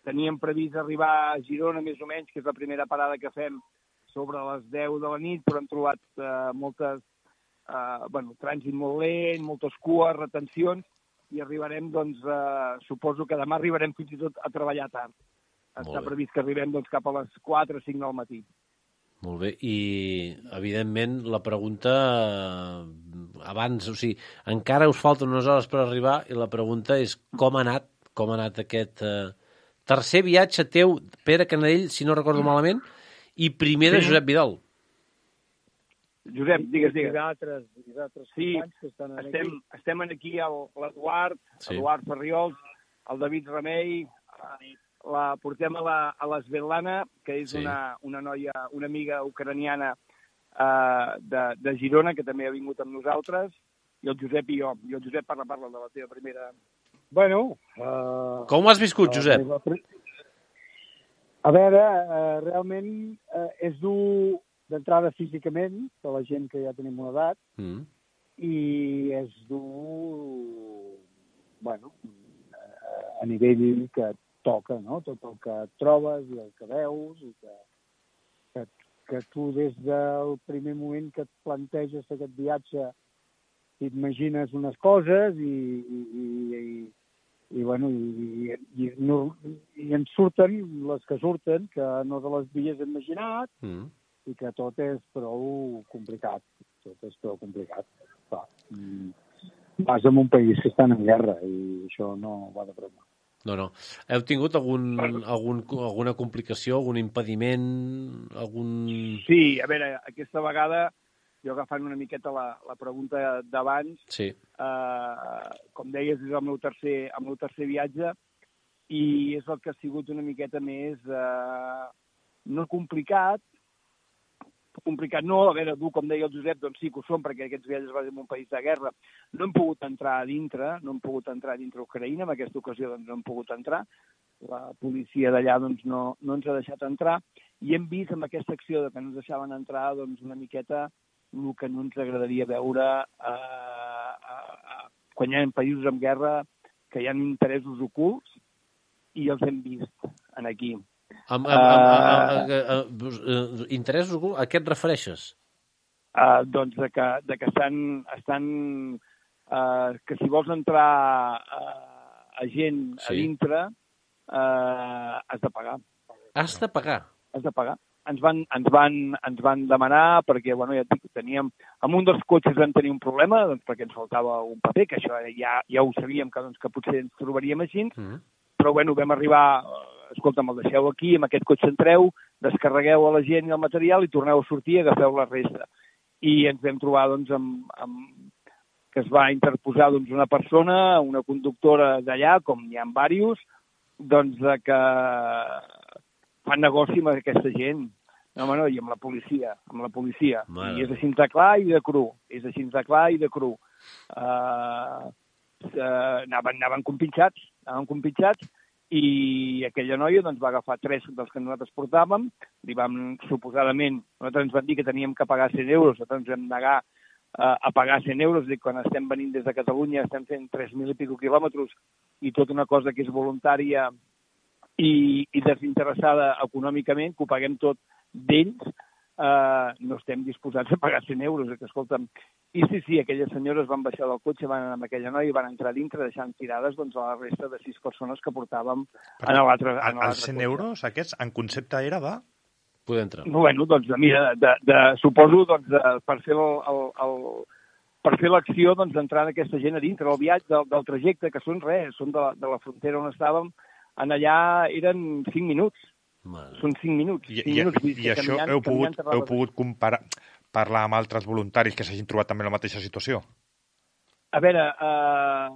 teníem previst arribar a Girona, més o menys, que és la primera parada que fem, sobre les deu de la nit, però hem trobat eh, moltes... Eh, bueno, trànsit molt lent, moltes cues, retencions, i arribarem, doncs, eh, suposo que demà arribarem fins i tot a treballar tard. Està bé. previst que arribem doncs, cap a les quatre o cinc del matí. Molt bé, i evidentment la pregunta eh, abans, o sigui, encara us falten unes hores per arribar i la pregunta és com ha anat, com ha anat aquest eh, tercer viatge teu, Pere Canadell, si no recordo malament, i primer de Sí. Josep Vidal. Josep, digues, I digues. d'altres, i d'altres Sí, companys que estan Estem, aquí. estem aquí el- l'Eduard, Sí. Eduard Ferriols, el David Remei, eh, la portem a la, a la Svetlana, que és Sí. una, una noia, una amiga ucraniana eh, de, de Girona, que també ha vingut amb nosaltres, i el Josep i jo. I el Josep parla, parla de la teva primera Bueno... Uh, Com ho has viscut, Josep? A veure, uh, realment uh, és dur d'entrada físicament, per la gent que ja tenim una edat, Mm. i és dur, bueno, uh, a nivell que et toca, no? Tot el que et trobes i el que veus, i que, que, que tu des del primer moment que et planteges aquest viatge t'imagines unes coses i, i, i, i, i bueno, i, i, i, no, i en surten les que surten, que no te les havies imaginat, Mm. i que tot és prou complicat. Tot és prou complicat. Clar, mm, vas en un país que estan en guerra i això no va de broma. No, no. Heu tingut algun, algun, alguna complicació, algun impediment, algun... Sí, a veure, aquesta vegada, jo agafant una miqueta la, la pregunta d'abans, Sí. eh, com deies, és el meu tercer, el meu tercer viatge, i és el que ha sigut una miqueta més, eh, no complicat, complicat no, a veure, dur, com deia el Josep, doncs sí que ho són, perquè aquests viatges van en un país de guerra. No hem pogut entrar a dintre, no hem pogut entrar a dintre Ucraïna, en aquesta ocasió doncs, no hem pogut entrar, la policia d'allà doncs, no, no ens ha deixat entrar, i hem vist amb aquesta acció de que no ens deixaven entrar doncs, una miqueta el que no ens agradaria veure eh, eh, eh, quan hi ha països en guerra que hi ha interessos ocults, i els hem vist en aquí. Amb, amb, amb, amb, amb, amb, interessos ocults, a què et refereixes? Uh, doncs de que, de que estan, estan uh, que si vols entrar uh, a gent sí. a dintre uh, has de pagar. Has de pagar? Has de pagar. Ens van, ens van, ens van demanar, perquè bueno, ja et dic, teníem, amb un dels cotxes vam tenir un problema, doncs, perquè ens faltava un paper, que això ja, ja ho sabíem, que, doncs, que potser ens trobaríem així, mm. però bueno, vam arribar... escolta, me'l deixeu aquí, amb aquest cotxe entreu, descarregueu a la gent i el material i torneu a sortir i agafeu la resta. I ens vam trobar, doncs, amb, amb que es va interposar doncs, una persona, una conductora d'allà, com n'hi ha diversos, doncs, de que fan negoci amb aquesta gent. No, home, no, i amb la policia, amb la policia. Mare. I és així de clar i de cru. És així de clar i de cru. Uh, uh, anaven, anaven compinxats, anaven compinxats, i aquella noia doncs, va agafar tres dels que nosaltres portàvem, li vam, suposadament, nosaltres ens van dir que teníem que pagar cent euros, nosaltres ens vam negar uh, a pagar cent euros, dic, quan estem venint des de Catalunya estem fent tres mil i pico quilòmetres i tota una cosa que és voluntària i, i desinteressada econòmicament, que ho paguem tot d'ells, uh, no estem disposats a pagar cent euros, que escolta'm. I sí, sí, aquelles senyores van baixar del cotxe, van anar amb aquella noia i van entrar dintre, deixant tirades doncs, a la resta de sis persones que portàvem Però, en l'altre cotxe. Els cent euros aquests, en concepte era de... Poder entrar. Bueno, doncs, mira, de, de, suposo, doncs, de, per fer el, el, el per fer l'acció doncs, d'entrar en aquesta gent a dintre, el viatge del, del trajecte, que són res, són de, de la frontera on estàvem, en allà eren cinc minuts. Mare. Són cinc minuts. I, cinc i, minuts i, i això heu pogut, heu pogut comparar, parlar amb altres voluntaris que s'hagin trobat també en la mateixa situació? A veure, eh,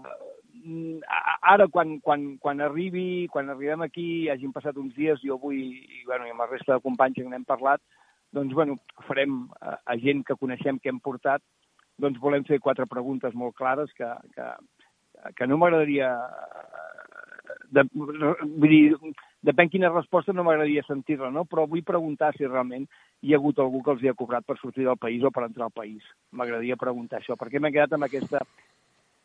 ara quan, quan, quan arribi, quan arribem aquí, hagin passat uns dies, jo vull, i, bueno, i amb la resta de companys que n'hem parlat, doncs, bueno, farem a, a gent que coneixem que hem portat, doncs volem fer quatre preguntes molt clares que, que, que no m'agradaria... De, vull dir, depèn quina resposta no m'agradaria sentir-la, no? Però vull preguntar si realment hi ha hagut algú que els hi ha cobrat per sortir del país o per entrar al país. M'agradaria preguntar això, perquè m'he quedat amb aquesta,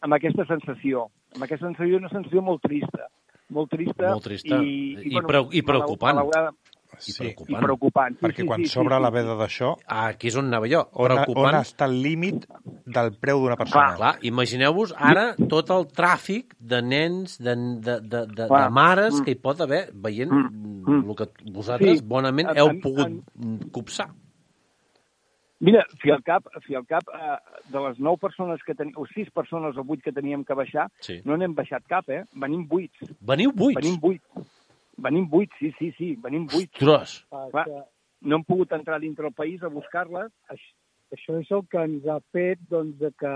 amb aquesta sensació. Amb aquesta sensació, una sensació molt trista. Molt trista. Molt trista. I, I, i, bueno, preu, i preocupant. Malaurada... I sí, preocupant. I preocupant. Sí, perquè sí, quan sí, s'obre sí, la sí. veda d'això... Ah, aquí és on anava jo. On, Preocupant. on està el límit del preu d'una persona? Clar, imagineu-vos ara tot el tràfic de nens, de, de, de, de, de mares que hi pot haver veient mm. el que vosaltres Sí. bonament En- heu en- pogut en- copsar. Mira, fi al cap, fi al cap eh, de les nou persones que teníem, o sis persones o vuit que teníem que baixar, Sí. no n'hem baixat cap, eh? Venim vuits. Veniu buits? Venim vuits. Venim vuits, sí, sí, sí, venim vuits. Ostres. Clar, no hem pogut entrar dintre el país a buscar-les. Això, això és el que ens ha fet doncs, de que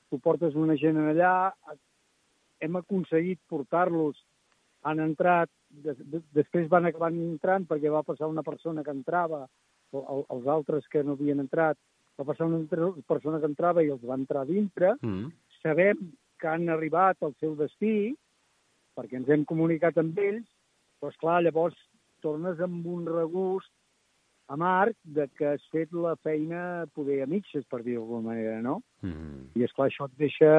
tu portes una gent allà, hem aconseguit portar-los, han entrat, de, de, després van acabar entrant perquè va passar una persona que entrava, o, o, els altres que no havien entrat, va passar una altra persona que entrava i els va entrar dintre. Mm. Sabem que han arribat al seu destí, perquè ens hem comunicat amb ells, però, esclar, llavors tornes amb un regust amarg de que has fet la feina poder a mitges, per dir d'alguna manera, no? Mm. I, esclar, això et deixa,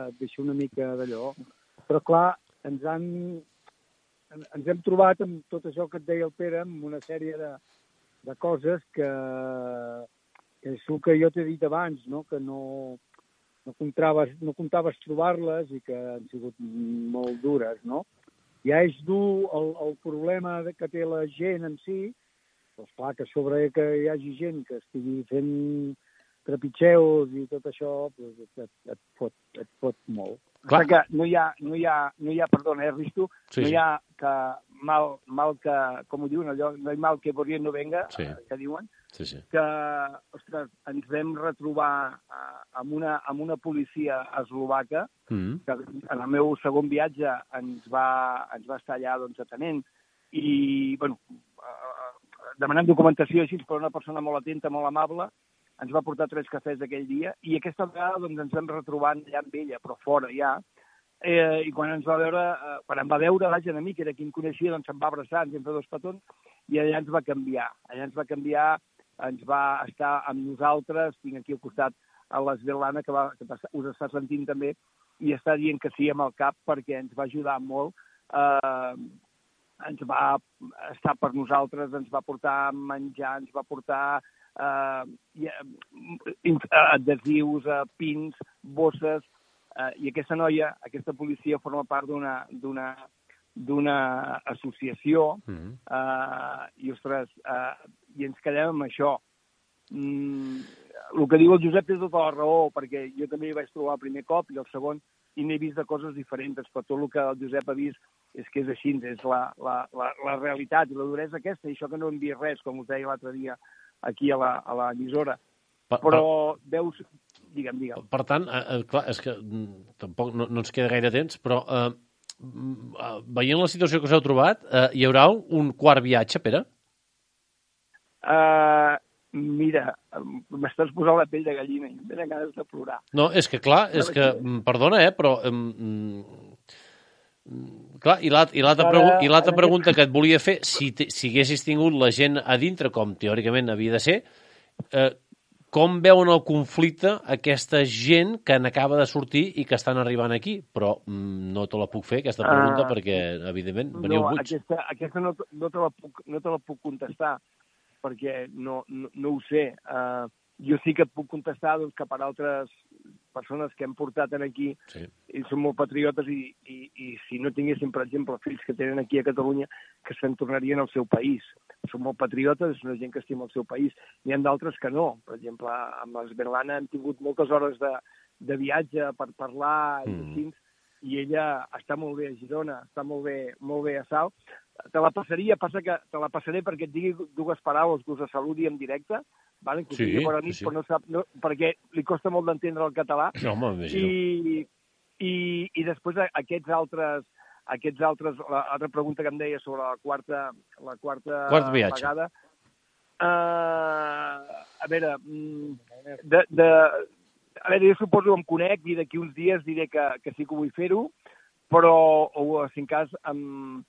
et deixa una mica d'allò. Però, clar, ens han... ens hem trobat amb tot això que et deia el Pere, amb una sèrie de, de coses que, que és el que jo t'he dit abans, no? Que no, no, comptaves, no comptaves trobar-les i que han sigut molt dures, no? Ja és dur el, el problema que té la gent en si, però esclar, que sobre que hi hagi gent que estigui fent trepitgeus i tot això, doncs et, et, fot, et fot molt. Clar. Que no hi ha, no hi ha, no hi ha perdona, eh, Risto, sí, no sí. hi ha que mal, mal que, com ho diuen allò, no hi ha mal que por bien no venga, sí. eh, que diuen, sí, sí. que, ostres, ens vam retrobar eh, amb, una, amb una policia eslovaca, mm. que en el meu segon viatge ens va, ens va estar allà doncs, atenent, i, bueno, eh, demanant documentació així, però una persona molt atenta, molt amable, ens va portar tres cafès aquell dia, i aquesta vegada doncs, ens vam retrobar allà amb ella, però fora ja, eh, i quan ens va veure, eh, quan em va veure, vaja, a mi, que era qui em coneixia, doncs em va abraçar, ens vam fer dos petons, i allà ens va canviar, allà ens va canviar, ens va estar amb nosaltres, tinc aquí al costat a l'Esvelana, que, va, que us està sentint també, i està dient que sí amb el cap, perquè ens va ajudar molt, eh, ens va estar per nosaltres, ens va portar menjar, ens va portar Uh, adhesius, uh, pins, bosses, uh, i aquesta noia, aquesta policia forma part d'una d'una d'una associació, mm-hmm. uh, i ostres, uh, i ens quedem amb això. Mm, el que diu el Josep té tota la raó, perquè jo també hi vaig trobar el primer cop i el segon, i n'he vist de coses diferents, però tot el que el Josep ha vist és que és així, és la, la, la, la realitat i la duresa aquesta, i això que no hem vist res, com us deia l'altre dia, aquí a la, a l'emissora. Però veus... Digue'm, digue'm. Per tant, eh, clar, és que tampoc no, no ens queda gaire temps, però eh, veient la situació que us heu trobat, eh, hi haurà un quart viatge, Pere? Uh, mira, m'estàs posant la pell de gallina i em tenen ganes de plorar. No, és que clar, és que, perdona, eh, però... Um, clar, i l'altra pregu aquest... pregunta que et volia fer, si, si haguessis tingut la gent a dintre, com teòricament havia de ser, eh, com veuen el conflicte aquesta gent que n'acaba de sortir i que estan arribant aquí? Però mm, no te la puc fer, aquesta pregunta, uh, perquè, evidentment, veniu no, buits. Aquesta, aquesta no, no, te la puc, no te la puc contestar, perquè no, no, no ho sé. Uh, jo sí que et puc contestar doncs, que per altres persones que hem portat aquí, sí. I són molt patriotes i, i, i si no tinguéssim, per exemple, fills que tenen aquí a Catalunya, que se'n tornarien al seu país. Són molt patriotes, és una gent que estima el seu país. N'hi ha d'altres que no. Per exemple, amb l'Esberlana hem tingut moltes hores de, de viatge per parlar mm. i així, i ella està molt bé a Girona, està molt bé, molt bé a Salt. Te la passaria, passa que te la passaré perquè et digui dues paraules que us saludi en directe, vale? Que sí, nit, sí. Però no sap, no, perquè li costa molt d'entendre el català. No, m'imagino. I, i, I després aquests altres, aquests altres, l'altra pregunta que em deia sobre la quarta, la quarta Quart viatge. vegada. Uh, a veure, de, de, a veure, jo suposo que em conec i d'aquí uns dies diré que, que sí que vull fer-ho, però, o si en cas, amb,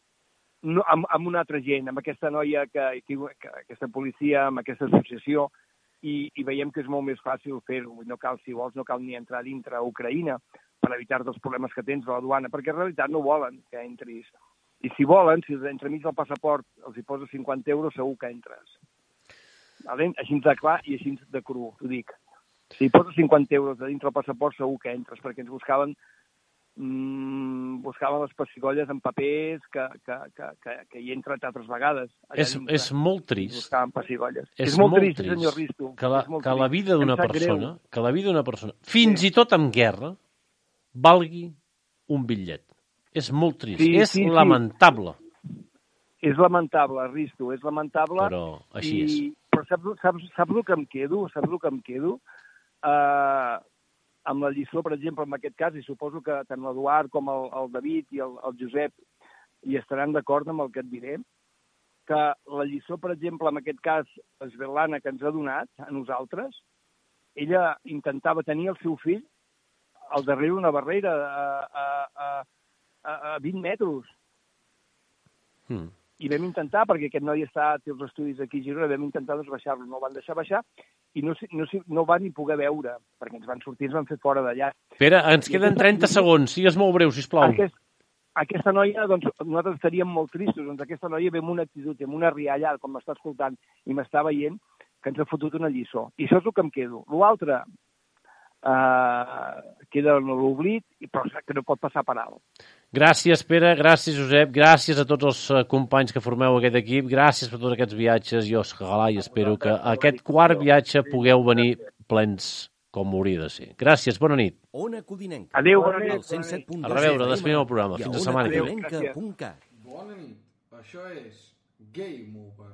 no, amb, amb una altra gent, amb aquesta noia, que, que, que aquesta policia, amb aquesta associació, i, i veiem que és molt més fàcil fer-ho. No cal, si vols, no cal ni entrar dintre a Ucraïna per evitar-te els problemes que tens a la duana, perquè en realitat no volen que entris. I si volen, si entremig del passaport els hi poses cinquanta euros, segur que entres. Vale? Així de clar i així de cru, t'ho dic. Si hi poses cinquanta euros de dintre del passaport, segur que entres, perquè ens buscaven mm, buscaven les pessigolles en papers que, que, que, que, que hi he entrat altres vegades. És, és molt trist. Buscaven pessigolles. És, és molt, molt trist, trist, senyor Risto. Que la, que la vida d'una persona, greu. que la vida d'una persona, fins sí. i tot en guerra, valgui un bitllet. És molt trist. Sí, és sí, lamentable. Sí. És lamentable, Risto, és lamentable. Però així i... és. Però saps, saps, saps el que em quedo? Saps el que em quedo? Uh, amb la lliçó, per exemple, en aquest cas, i suposo que tant l'Eduard com el, el David i el, el Josep hi estaran d'acord amb el que et diré, que la lliçó, per exemple, en aquest cas, Svetlana, que ens ha donat a nosaltres, ella intentava tenir el seu fill al darrere d'una barrera a, a, a, a, a vint metres. Mm. I vam intentar, perquè aquest noi està, té els estudis aquí a Girona, vam intentar doncs, baixar-lo, no el van deixar baixar i no, no, no van ni poder veure, perquè ens van sortir, ens van fer fora d'allà. Pere, ens queden trenta segons, sigues molt breu, sisplau. Aquest, aquesta noia, doncs, nosaltres estaríem molt tristos, doncs aquesta noia ve amb una actitud, amb una rialla, com m'està escoltant i m'està veient, que ens ha fotut una lliçó. I això és el que em quedo. L'altre eh, queda en l'oblit, però que no pot passar per alt. Gràcies, Pere, gràcies, Josep, gràcies a tots els eh, companys que formeu aquest equip, gràcies per tots aquests viatges, i ojalà i espero que aquest quart viatge pugueu venir plens com hauria de ser. Gràcies, bona nit. Ona Codinenca. Adéu, bona nit. A reveure, despedim el programa. Fins la setmana que ve. Ona Codinenca punt cat. Bona nit. Això és Game Over.